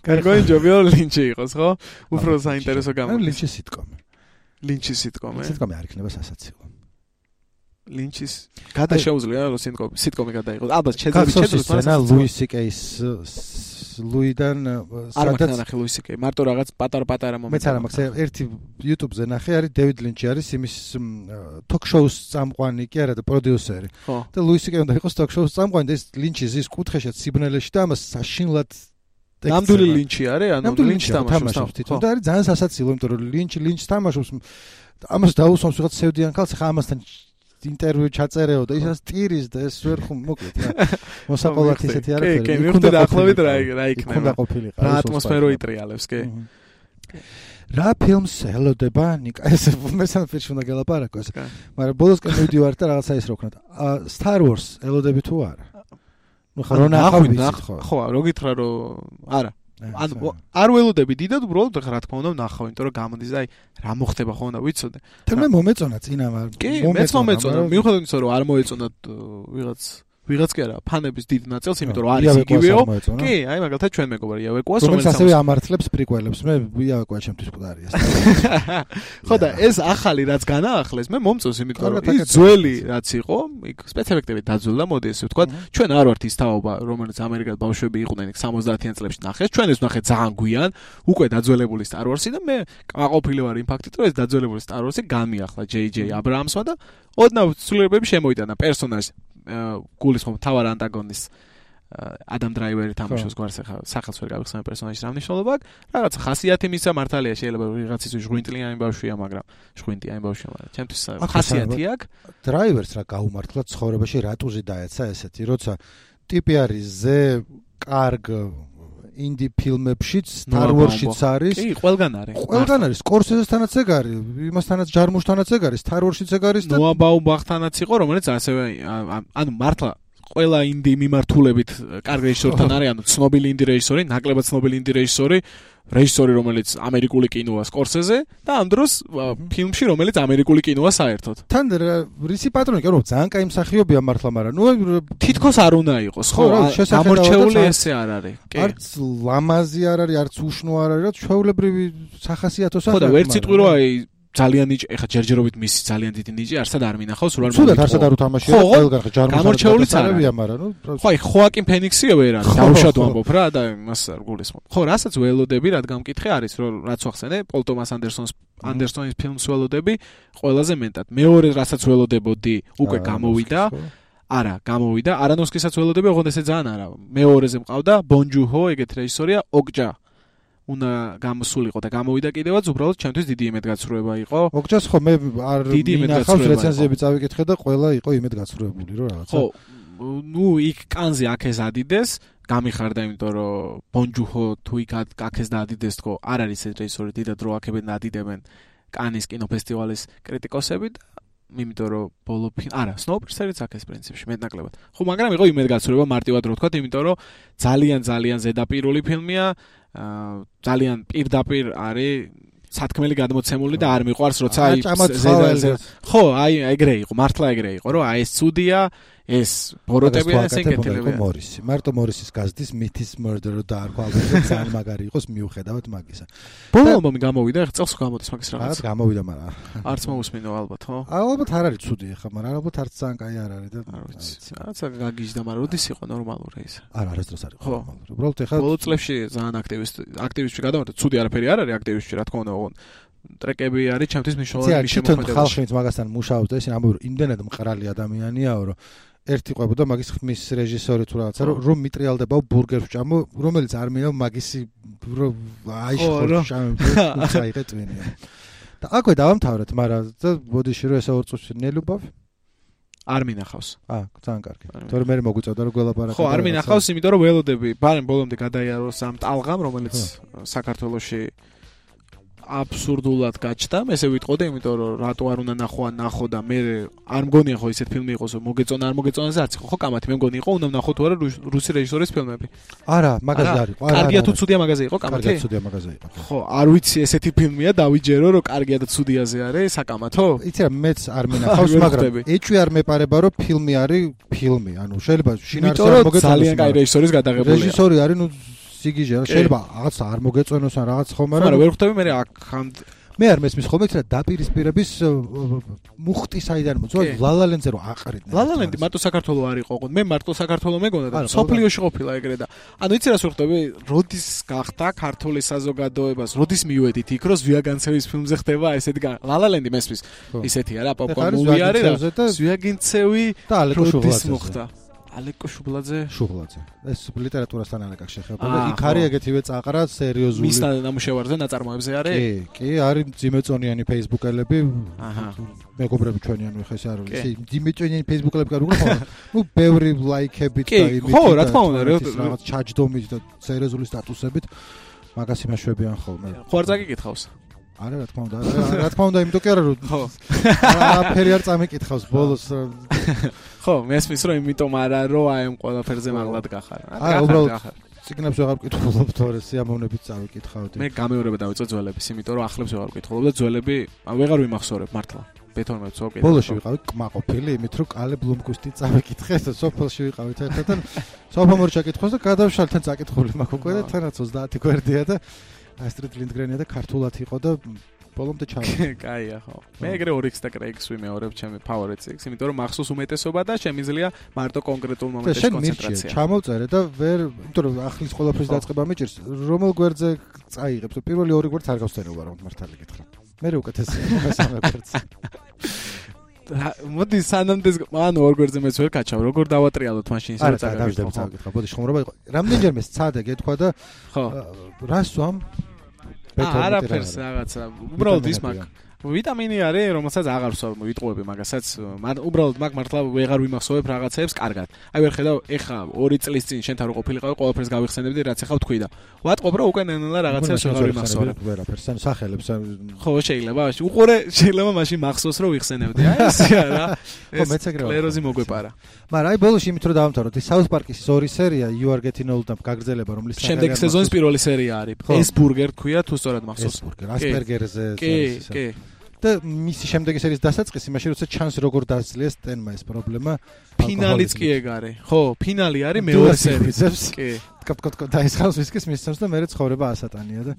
კარგი ჯობია ლინჩი იყოს, ხო? უფრო საინტერესო გამოდის. ან ლინჩის სიტკომი. ლინჩის სიტკომი. სიტკომი არ იქნება სასაცილო. ლინჩის გადაშეუძლია რომ სიტკომი სიტკომი გადაიღოს. ალბათ შეძლებს შეძლებს მაგრამ ლუის სიკეის ლუიდან სადაც ნახე ლუის სიკეი მარტო რაღაც პატარ-პატარა მომენტი. მეც არა მაქვს ერთი YouTube-ზე ნახე არის დევიდ ლინჩი არის იმის ток-შოუს წამყვანი კი არა და პროდიუსერი. და ლუის სიკეი უნდა იყოს ток-შოუს წამყვანი და ეს ლინჩი ზის კუთხეშად სიბნელეში და ამას საშინლად ნამდვილი ლინჩი არის, ანუ ლინჩი თამაშობს თვითონ და არის ძალიან სასაცილო, იმიტომ რომ ლინჩი ლინჩს თამაშობს ამას დაუსვამს ვიღაც სევდიან ქალს ხა ამასთან ინტერვიუ ჩაწერეო და ისაც ტირის და ეს ვერ ხომ მოკლედ რა მოსაყოლად ისეთი არაფერი. კი, კი, მივხვდი ახლავით რა რა იქნება. უნდა ყოფილიყო. რა ატმოსფერო იტრიალებს, კი. რა ფილმს ელოდება ნიკა ეს მესამე ფილმში უნდა გელაპარაკო ეს. მაგრამ ბოლოსკენ მივდივარ და რაღაცა ის რო ვქნათ. Star Wars ელოდები თუ არა? ნუ ხო რა ნახავთ ხო? ხო, რო გითხრა რომ არა. ანუ არ ველოდები დიდად უბრალოდ რა თქმა უნდა ვნახავ, იმიტომ რომ გამოდის და აი რა მოხდება ხოლმე ვიცოდე. და მე მომეწონა წინა მაგრამ კი, მეც მომეწონა. მიუხედავად იმისა რომ არ მოეწონათ ვიღაც ვიღაც კი არა, ფანების დიდ ნაწილს, იმიტომ რომ არის იგივეო. კი, აი მაგალითად ჩვენ მეგობარი იავეკოას, რომელიც ასევე ამართლებს პრიკველებს. მე იავეკოა ჩემთვის მკვდარია. ხო და ეს ახალი რაც განაახლეს, მე მომწონს, იმიტომ რომ ის ძველი რაც იყო, იქ სპეციფიქტები დაძველდა, მოდი ესე ვთქვა. ჩვენ არ ვართ ის თაობა, რომელიც ამერიკად ბავშვები იყვნენ იქ სამოცდაათიან წლებში ნახეს. ჩვენ ეს ვნახეთ ძალიან გვიან, უკვე დაძველებული Star Wars-ი და მე კმაყოფილი ვარ იმ ფაქტით, რომ ეს დაძველებული Star Wars-ი განმიახლა ჯეი ჯეი აბრაამსმა და ოდნავ ცვლილებები შემოიტანა პერსონაჟს გულისხმობ თავარ ანტაგონისტს ადამ დრაივერი თამაშობს გვარს ახლა სახელს ვერ გავიხსენებ პერსონაჟის რა მნიშვნელობა აქვს რაღაც ხასიათი მისცა მართალია შეიძლება ვიღაცის ჟღვინტლიანი ბავშვია მაგრამ ჟღვინტიანი ბავშვია მაგრამ ჩემთვის ხასიათი აქვს დრაივერს რა გაუმართლა ცხოვრებაში რატუზი დაეცა ესეთი როცა ტიპი არის ზე კარგ ინდი ფილმებშიც Star Wars-შიც არის. კი, ყველგან არის. ყველგან არის. Scorsese-თანაც ეგ არის, იმასთანაც ჯარმუშთანაც ეგ არის, Star Wars-შიც ეგ არის და Noah Baumbach-თანაც იყო, რომელიც ასევე ანუ მართლა ყველა ინდი მიმართულებით კარგ რეჟისორთან არის, ანუ ცნობილი ინდი რეჟისორი, ნაკლებად ცნობილი ინდი რეჟისორი, რეჟისორი, რომელიც ამერიკული კინოა Scorsese და ამ დროს ფილმში, რომელიც ამერიკული კინოა საერთოდ. თან რისი პატრონი კი რომ ძალიან კაი მსახიობია მართლა, მაგრამ ნუ თითქოს არ უნდა იყოს, ხო? გამორჩეული ესე არ არის. კი. არც ლამაზი არ არის, არც უშნო არ არის, რა ჩვეულებრივი სახასიათო სახე. ხო და ვერც სიტყვი რომ აი ძალიან ნიჭი, ეხა ჯერჯერობით მისი ძალიან დიდი ნიჭი არსად არ მინახავს, სულ არ მოვიდა. სულად არსად არ უთამაშია, ყველგან ჯარმუშები გამორჩეულიც არია, მაგრამ ნუ ხო, აი ხოაკინ ფენიქსიო ვერ არის, დაუშვათ ვამბობ რა და იმას არ გულისხმობ. ხო, რასაც ველოდები, რადგან მკითხე არის, რომ რაც ვახსენე, პოლ ტომას ანდერსონს ანდერსონის ფილმს ველოდები, ყველაზე მეტად. მეორე რასაც ველოდებოდი, უკვე გამოვიდა. არა, გამოვიდა. არანოვსკისაც ველოდები, ოღონდ ესე ძალიან არა. მეორეზე მყავდა ბონ ჯუჰო, ეგეთ რეჟისორია, ოკჯა. უნდა გამოსულიყო და გამოვიდა კიდევაც უბრალოდ ჩემთვის დიდი იმედგაცრუება იყო. ოკჯას ხო მე არ მინახავს რეცენზიები წავიკითხე და ყველა იყო იმედგაცრუებული რომ რაღაცა. ხო, ნუ იქ კანზე აქეს ადიდეს, გამიხარდა იმიტომ რომ ბონ ჯუჰო თუ იქ აქეს და ადიდეს თქო, არ არის ეს რეჟისორი დიდად რო აქებენ და ადიდებენ კანის კინოფესტივალის კრიტიკოსები და იმიტომ რომ ბოლო არა, Snowpiercer-იც აქეს პრინციპში მეტნაკლებად. ხო, მაგრამ იყო იმედგაცრუება მარტივად რო თქვა, იმიტომ რომ ძალიან ძალიან ზედაპირული ფილმია. აა ძალიან პირდაპირ არის სათქმელი გადმოცემული და არ მიყვარს როცა აი ხო აი ეგრე იყო მართლა ეგრე იყო რომ აი ეს ცუდია ეს ბოროტები და ესე კეთილები. მორისი. მარტო მორისის გაზდის Myths Murder დაარქვა ალბომზე ძალიან მაგარი იყოს მიუხედავად მაგისა. ბოლო ალბომი გამოვიდა, ეხლა წელს გამოდის მაგის რაღაც. რაღაც გამოვიდა, მაგრამ არც მოусმინო ალბათ, ხო? ალბათ არ არის ცუდი ახლა, მაგრამ ალბათ არც ძალიან კაი არ არის და არ ვიცი. რაღაცა გაგიჟდა, მაგრამ როდის იყო ნორმალური ეს? არა, არასდროს არ იყო ნორმალური. უბრალოდ ეხლა ბოლო წლებში ძალიან აქტივისტ აქტივისტი გადავარდა, ცუდი არაფერი არ არის აქტივისტი, რა თქმა უნდა, ოღონდ ტრეკები არის ჩემთვის მნიშვნელოვანი შემოქმედებაში. ხალხიც მაგასთან მუშაობს და ისინი ამბობენ, იმდენად მყრალი ადამიანიაო, რომ ერთი ყვებოდა მაგის ხმის რეჟისორი თუ რაღაცა, რომ მიტრიალდებაო ბურგერს ვჭამო, რომელიც არ მინდა მაგისი აიშხო შამე წაიღე ტვინია. და აკვე დავამთავრეთ, მაგრამ და ბოდიში რომ ესა ორ წუთში ნელუბავ არ მინახავს. აა, ძალიან კარგი. თორე მე მოგვიწევდა რომ გველაპარაკე. ხო, არ მინახავს, იმიტომ რომ ველოდები, ბარემ ბოლომდე გადაიაროს ამ ტალღამ, რომელიც საქართველოში აბსურდულად გაჩნდა, მე ესე ვიტყოდი, იმიტომ რომ რატო არ უნდა ნახო ან ნახო და მე არ მგონია ხო ისეთ ფილმი იყოს, რომ მოგეწონა არ მოგეწონაზე არც იყო, ხო კამათი მე მგონი იყო, უნდა ნახო თუ არა რუსი რეჟისორის ფილმები. არა, მაგაზე არ იყო. არა, კარგია თუ ცუდია მაგაზე იყო კამათი? კარგია ცუდია მაგაზე იყო. ხო, არ ვიცი ესეთი ფილმია, დავიჯერო, რომ კარგია და ცუდიაზე არის საკამათო? იცი რა, მეც არ მინახავს, მაგრამ ეჭვი არ მეპარება, რომ ფილმი არის ფილმი, ანუ შეიძლება შინაარსი არ მოგეწონოს. ძალიან კაი რეჟისორის გადაღებულია. რეჟისორი არის, ნუ სიგიჟე, შეიძლება რაღაც არ მოგეწონოს ან რაღაც ხომ, მაგრამ ვერ ხვდები მე აქ მე არ მესმის ხოლმე რა დაპირისპირების მუხტი საიდან მოწვა ლალალენდზე რომ აყრიდნენ. ლალალენდი მარტო საქართველოს არ იყო, ოღონდ მე მარტო საქართველოს მეგონა და სოფლიოში ყოფილა ეგრე და ანუ იცი რას ვხვდები, როდის გახდა ქართული საზოგადოებას, როდის მივედით იქ რომ ზვიაგანცევის ფილმზე ხდება ესეთი ლალალენდი მესმის ისეთია რა პოპკორნ მუვი არის რა ზვიაგანცევი და ალეკო შუბლაძე ალეკო შუბლაძე შუბლაძე ეს ლიტერატურასთან არ აკავშირ შეხება იქ არის ეგეთივე წაყრა სერიოზული მის ნამუშევარზე ნაწარმოებზე არის კი კი არის ძიმეწონიანი ფეისბუქელები აჰა მეგობრები ჩვენი ანუ ხეს არ ვიცი ძიმეწონიანი ფეისბუქელები კარგი ხო ნუ ბევრი ლაიქებით და იმით ხო რა თქმა უნდა რაღაც ჩაჯდომით და სერიოზული სტატუსებით მაგას იმაშვებიან ხოლმე ხო არ წაგიკითხავს არა რა თქმა უნდა რა თქმა უნდა იმიტომ კი არა რომ ხო აფერი არ წამიკითხავს ბოლოს ხო მესმის რომ იმიტომ არა რომ აი ამ ყველაფერზე მაღლად გახარ არა უბრალოდ ციგნებს ვეღარ ვკითხულობ თორე სიამოვნებით წავიკითხავდი მე გამეორება დავიწყე ძველების იმიტომ რომ ახლებს ვეღარ ვკითხულობ და ძველები ვეღარ ვიმახსოვრებ მართლა ბეთონმებს ვაკეთებ ბოლოში ვიყავი კმაყოფილი იმით რომ კალე ბლუმკუსტი წავიკითხე და სოფელში ვიყავით ერთად სოფო მორჩა კითხოს და გადავშალ თან წაკითხული მაქვს უკვე და თანაც ოცდაათი გვერდია და ასტრიდ ლინდგრენია და ქართულად იყო და ბოლომდე ჩავიდა. კაია ხო. მე ეგრე ორიქს და კრეიქს ვიმეორებ ჩემი ფავორიტს, იმიტომ რომ მახსოვს უმეტესობა და შემიძლია მარტო კონკრეტულ მომენტებში კონცენტრაცია. ჩამოვწერე და ვერ, იმიტომ რომ ახლის ყველაფრის დაწყება მიჭირს, რომელ გვერდზე წაიღებს? პირველი ორი გვერდს არ გავსწრება რომ მართალი გითხრა. მე რო უკეთესი მესამე გვერდს. მოდი სანამდე ანუ ორ გვერდზე მეც ვერ გაჩავ, როგორ დავატრიალოთ მაშინ ისე წაგავიდები წავიკითხა. ბოდი ხუმრობა იყო. რამდენჯერმე სცადე გეთქვა და ხო. რას ვამ? არაფერს რაღაცა უბრალოდ ის მაგ ვიტამინი არის რომელსაც აღარ ვსვამ ვიტყუები მაგასაც უბრალოდ მაგ მართლა ვეღარ ვიმახსოვებ რაღაცეებს კარგად აი ვერ ხედავ ეხა ორი წლის წინ შენთან რო ყოფილიყავი ყველაფერს გავიხსენებდი რაც ეხა ვთქვი და ვატყობ რა უკვე ნელა რაღაცებს ვეღარ ვიმახსოვრებ ვერაფერს ან სახელებს ხო შეიძლება უყურე შეიძლება მაშინ მახსოვს რომ ვიხსენებდი აი ესეა რა ხო მეც ეგრე კლეროზი მოგვეპარა მაგრამ აი ბოლოში იმით რომ დავამთავროთ ის South Park-ის ორი სერია You Are Getting Old და გაგრძელება რომლის შემდეგ სეზონის პირველი სერია არის ეს ბურგერ თქვია თუ სწორად მახსოვს ასპერგერზე კი კი და მისი შემდეგი სერიის დასაწყისი მაშინ როცა ჩანს როგორ დაძლია სტენმა ეს პრობლემა ფინალიც კი ეგ არის ხო ფინალი არის მეორე სერიის კი კაპკოტკო დაისხავს ვისკის მისცემს და მე ცხოვრება ასატანია და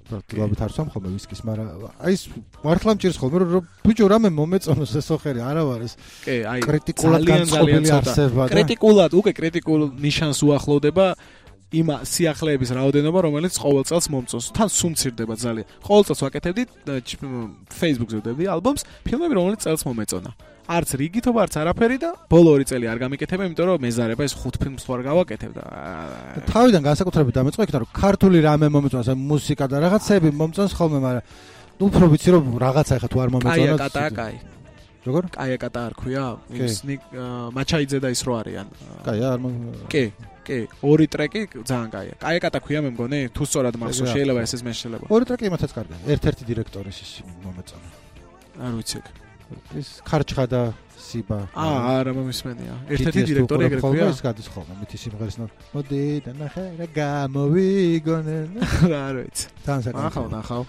პრაქტიკულად არ სვამ ხოლმე ვისკის მაგრამ აი ეს მართლა მჭირს ხოლმე რომ ბიჭო რამე მომეწონოს ეს ოხერი არა ვარ ეს კი აი კრიტიკულად განწყობილი არსება და კრიტიკულად უკვე კრიტიკულ ნიშანს უახლოვდება იმ სიახლეების რაოდენობა, რომელიც ყოველ წელს მომწონს. თან სუმცირდება ძალიან. ყოველ წელს ვაკეთებდი Facebook-ზე ვდებდი ალბომს, ფილმები, რომელიც წელს მომეწონა. არც რიგითობა, არც არაფერი და ბოლო ორი წელი არ გამიკეთებ, იმიტომ რომ მეზარება ეს ხუთ ფილმს ვარ გავაკეთებ და თავიდან განსაკუთრებით დამეწყო იქ რომ ქართული რამე მომეწონს, აი მუსიკა და რაღაცები მომწონს ხოლმე, მაგრამ უფრო ვიცი რომ რაღაცა ეხა თუ არ მომეწონოს. კაია კატა კაი. როგორ? კაია კატა არ ქვია? ის მაჩაიძე და ის რო არიან. კაია არ მომ კი კი, ორი ტრეკი ძალიან კაია. კაია კატა ქვია მე მგონი, თუ სწორად მახსოვს, შეიძლება ესეც მე შეიძლება. ორი ტრეკი იმათაც კარგია. ერთ-ერთი დირექტორის ის მომეწონა. არ ვიცი. ის ხარჩხა და სიბა. აა, არა მომისმენია. ერთ-ერთი დირექტორი ეგრე ქვია. ის გადის ხოლმე მითი სიმღერის ნო. მოდი და ნახე რა გამოვიგონე. რა არ ვიცი. თან საკითხი. ახავ, ნახავ.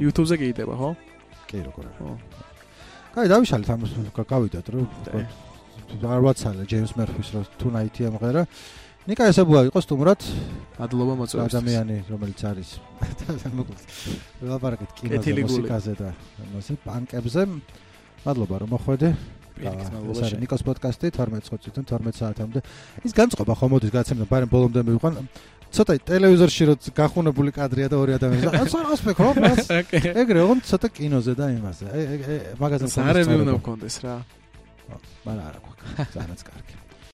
YouTube-ზე გიიდება, ხო? კი, როგორ არა. ხო. კაი, დავიშალეთ ამას გავიდათ რომ არ ვაცალე ჯეიმს მერფის რო თუნაითი ამღერა. ნიკა ესებუა იყო სტუმრად. მადლობა მოწვევისთვის. ადამიანი რომელიც არის მოკლედ ვლაპარაკეთ კინოზე, მუსიკაზე და ამაზე პანკებზე. მადლობა რომ მოხვედე. ეს არის ნიკოს პოდკასტი თორმეტ წუთიდან თორმეტ საათამდე. ის განწყობა ხომ მოდის გაცემდა, მაგრამ ბოლომდე მივიყვან. ცოტა ტელევიზორში რო გახუნებული კადრია და ორი ადამიანი. ასე ასფიქრო, მას. ეგრე ოღონდ ცოტა კინოზე და იმაზე. აი მაგაზე სარევი უნდა გქონდეს რა. მაგრამ არა გვაქვს. ძალიან კარგი.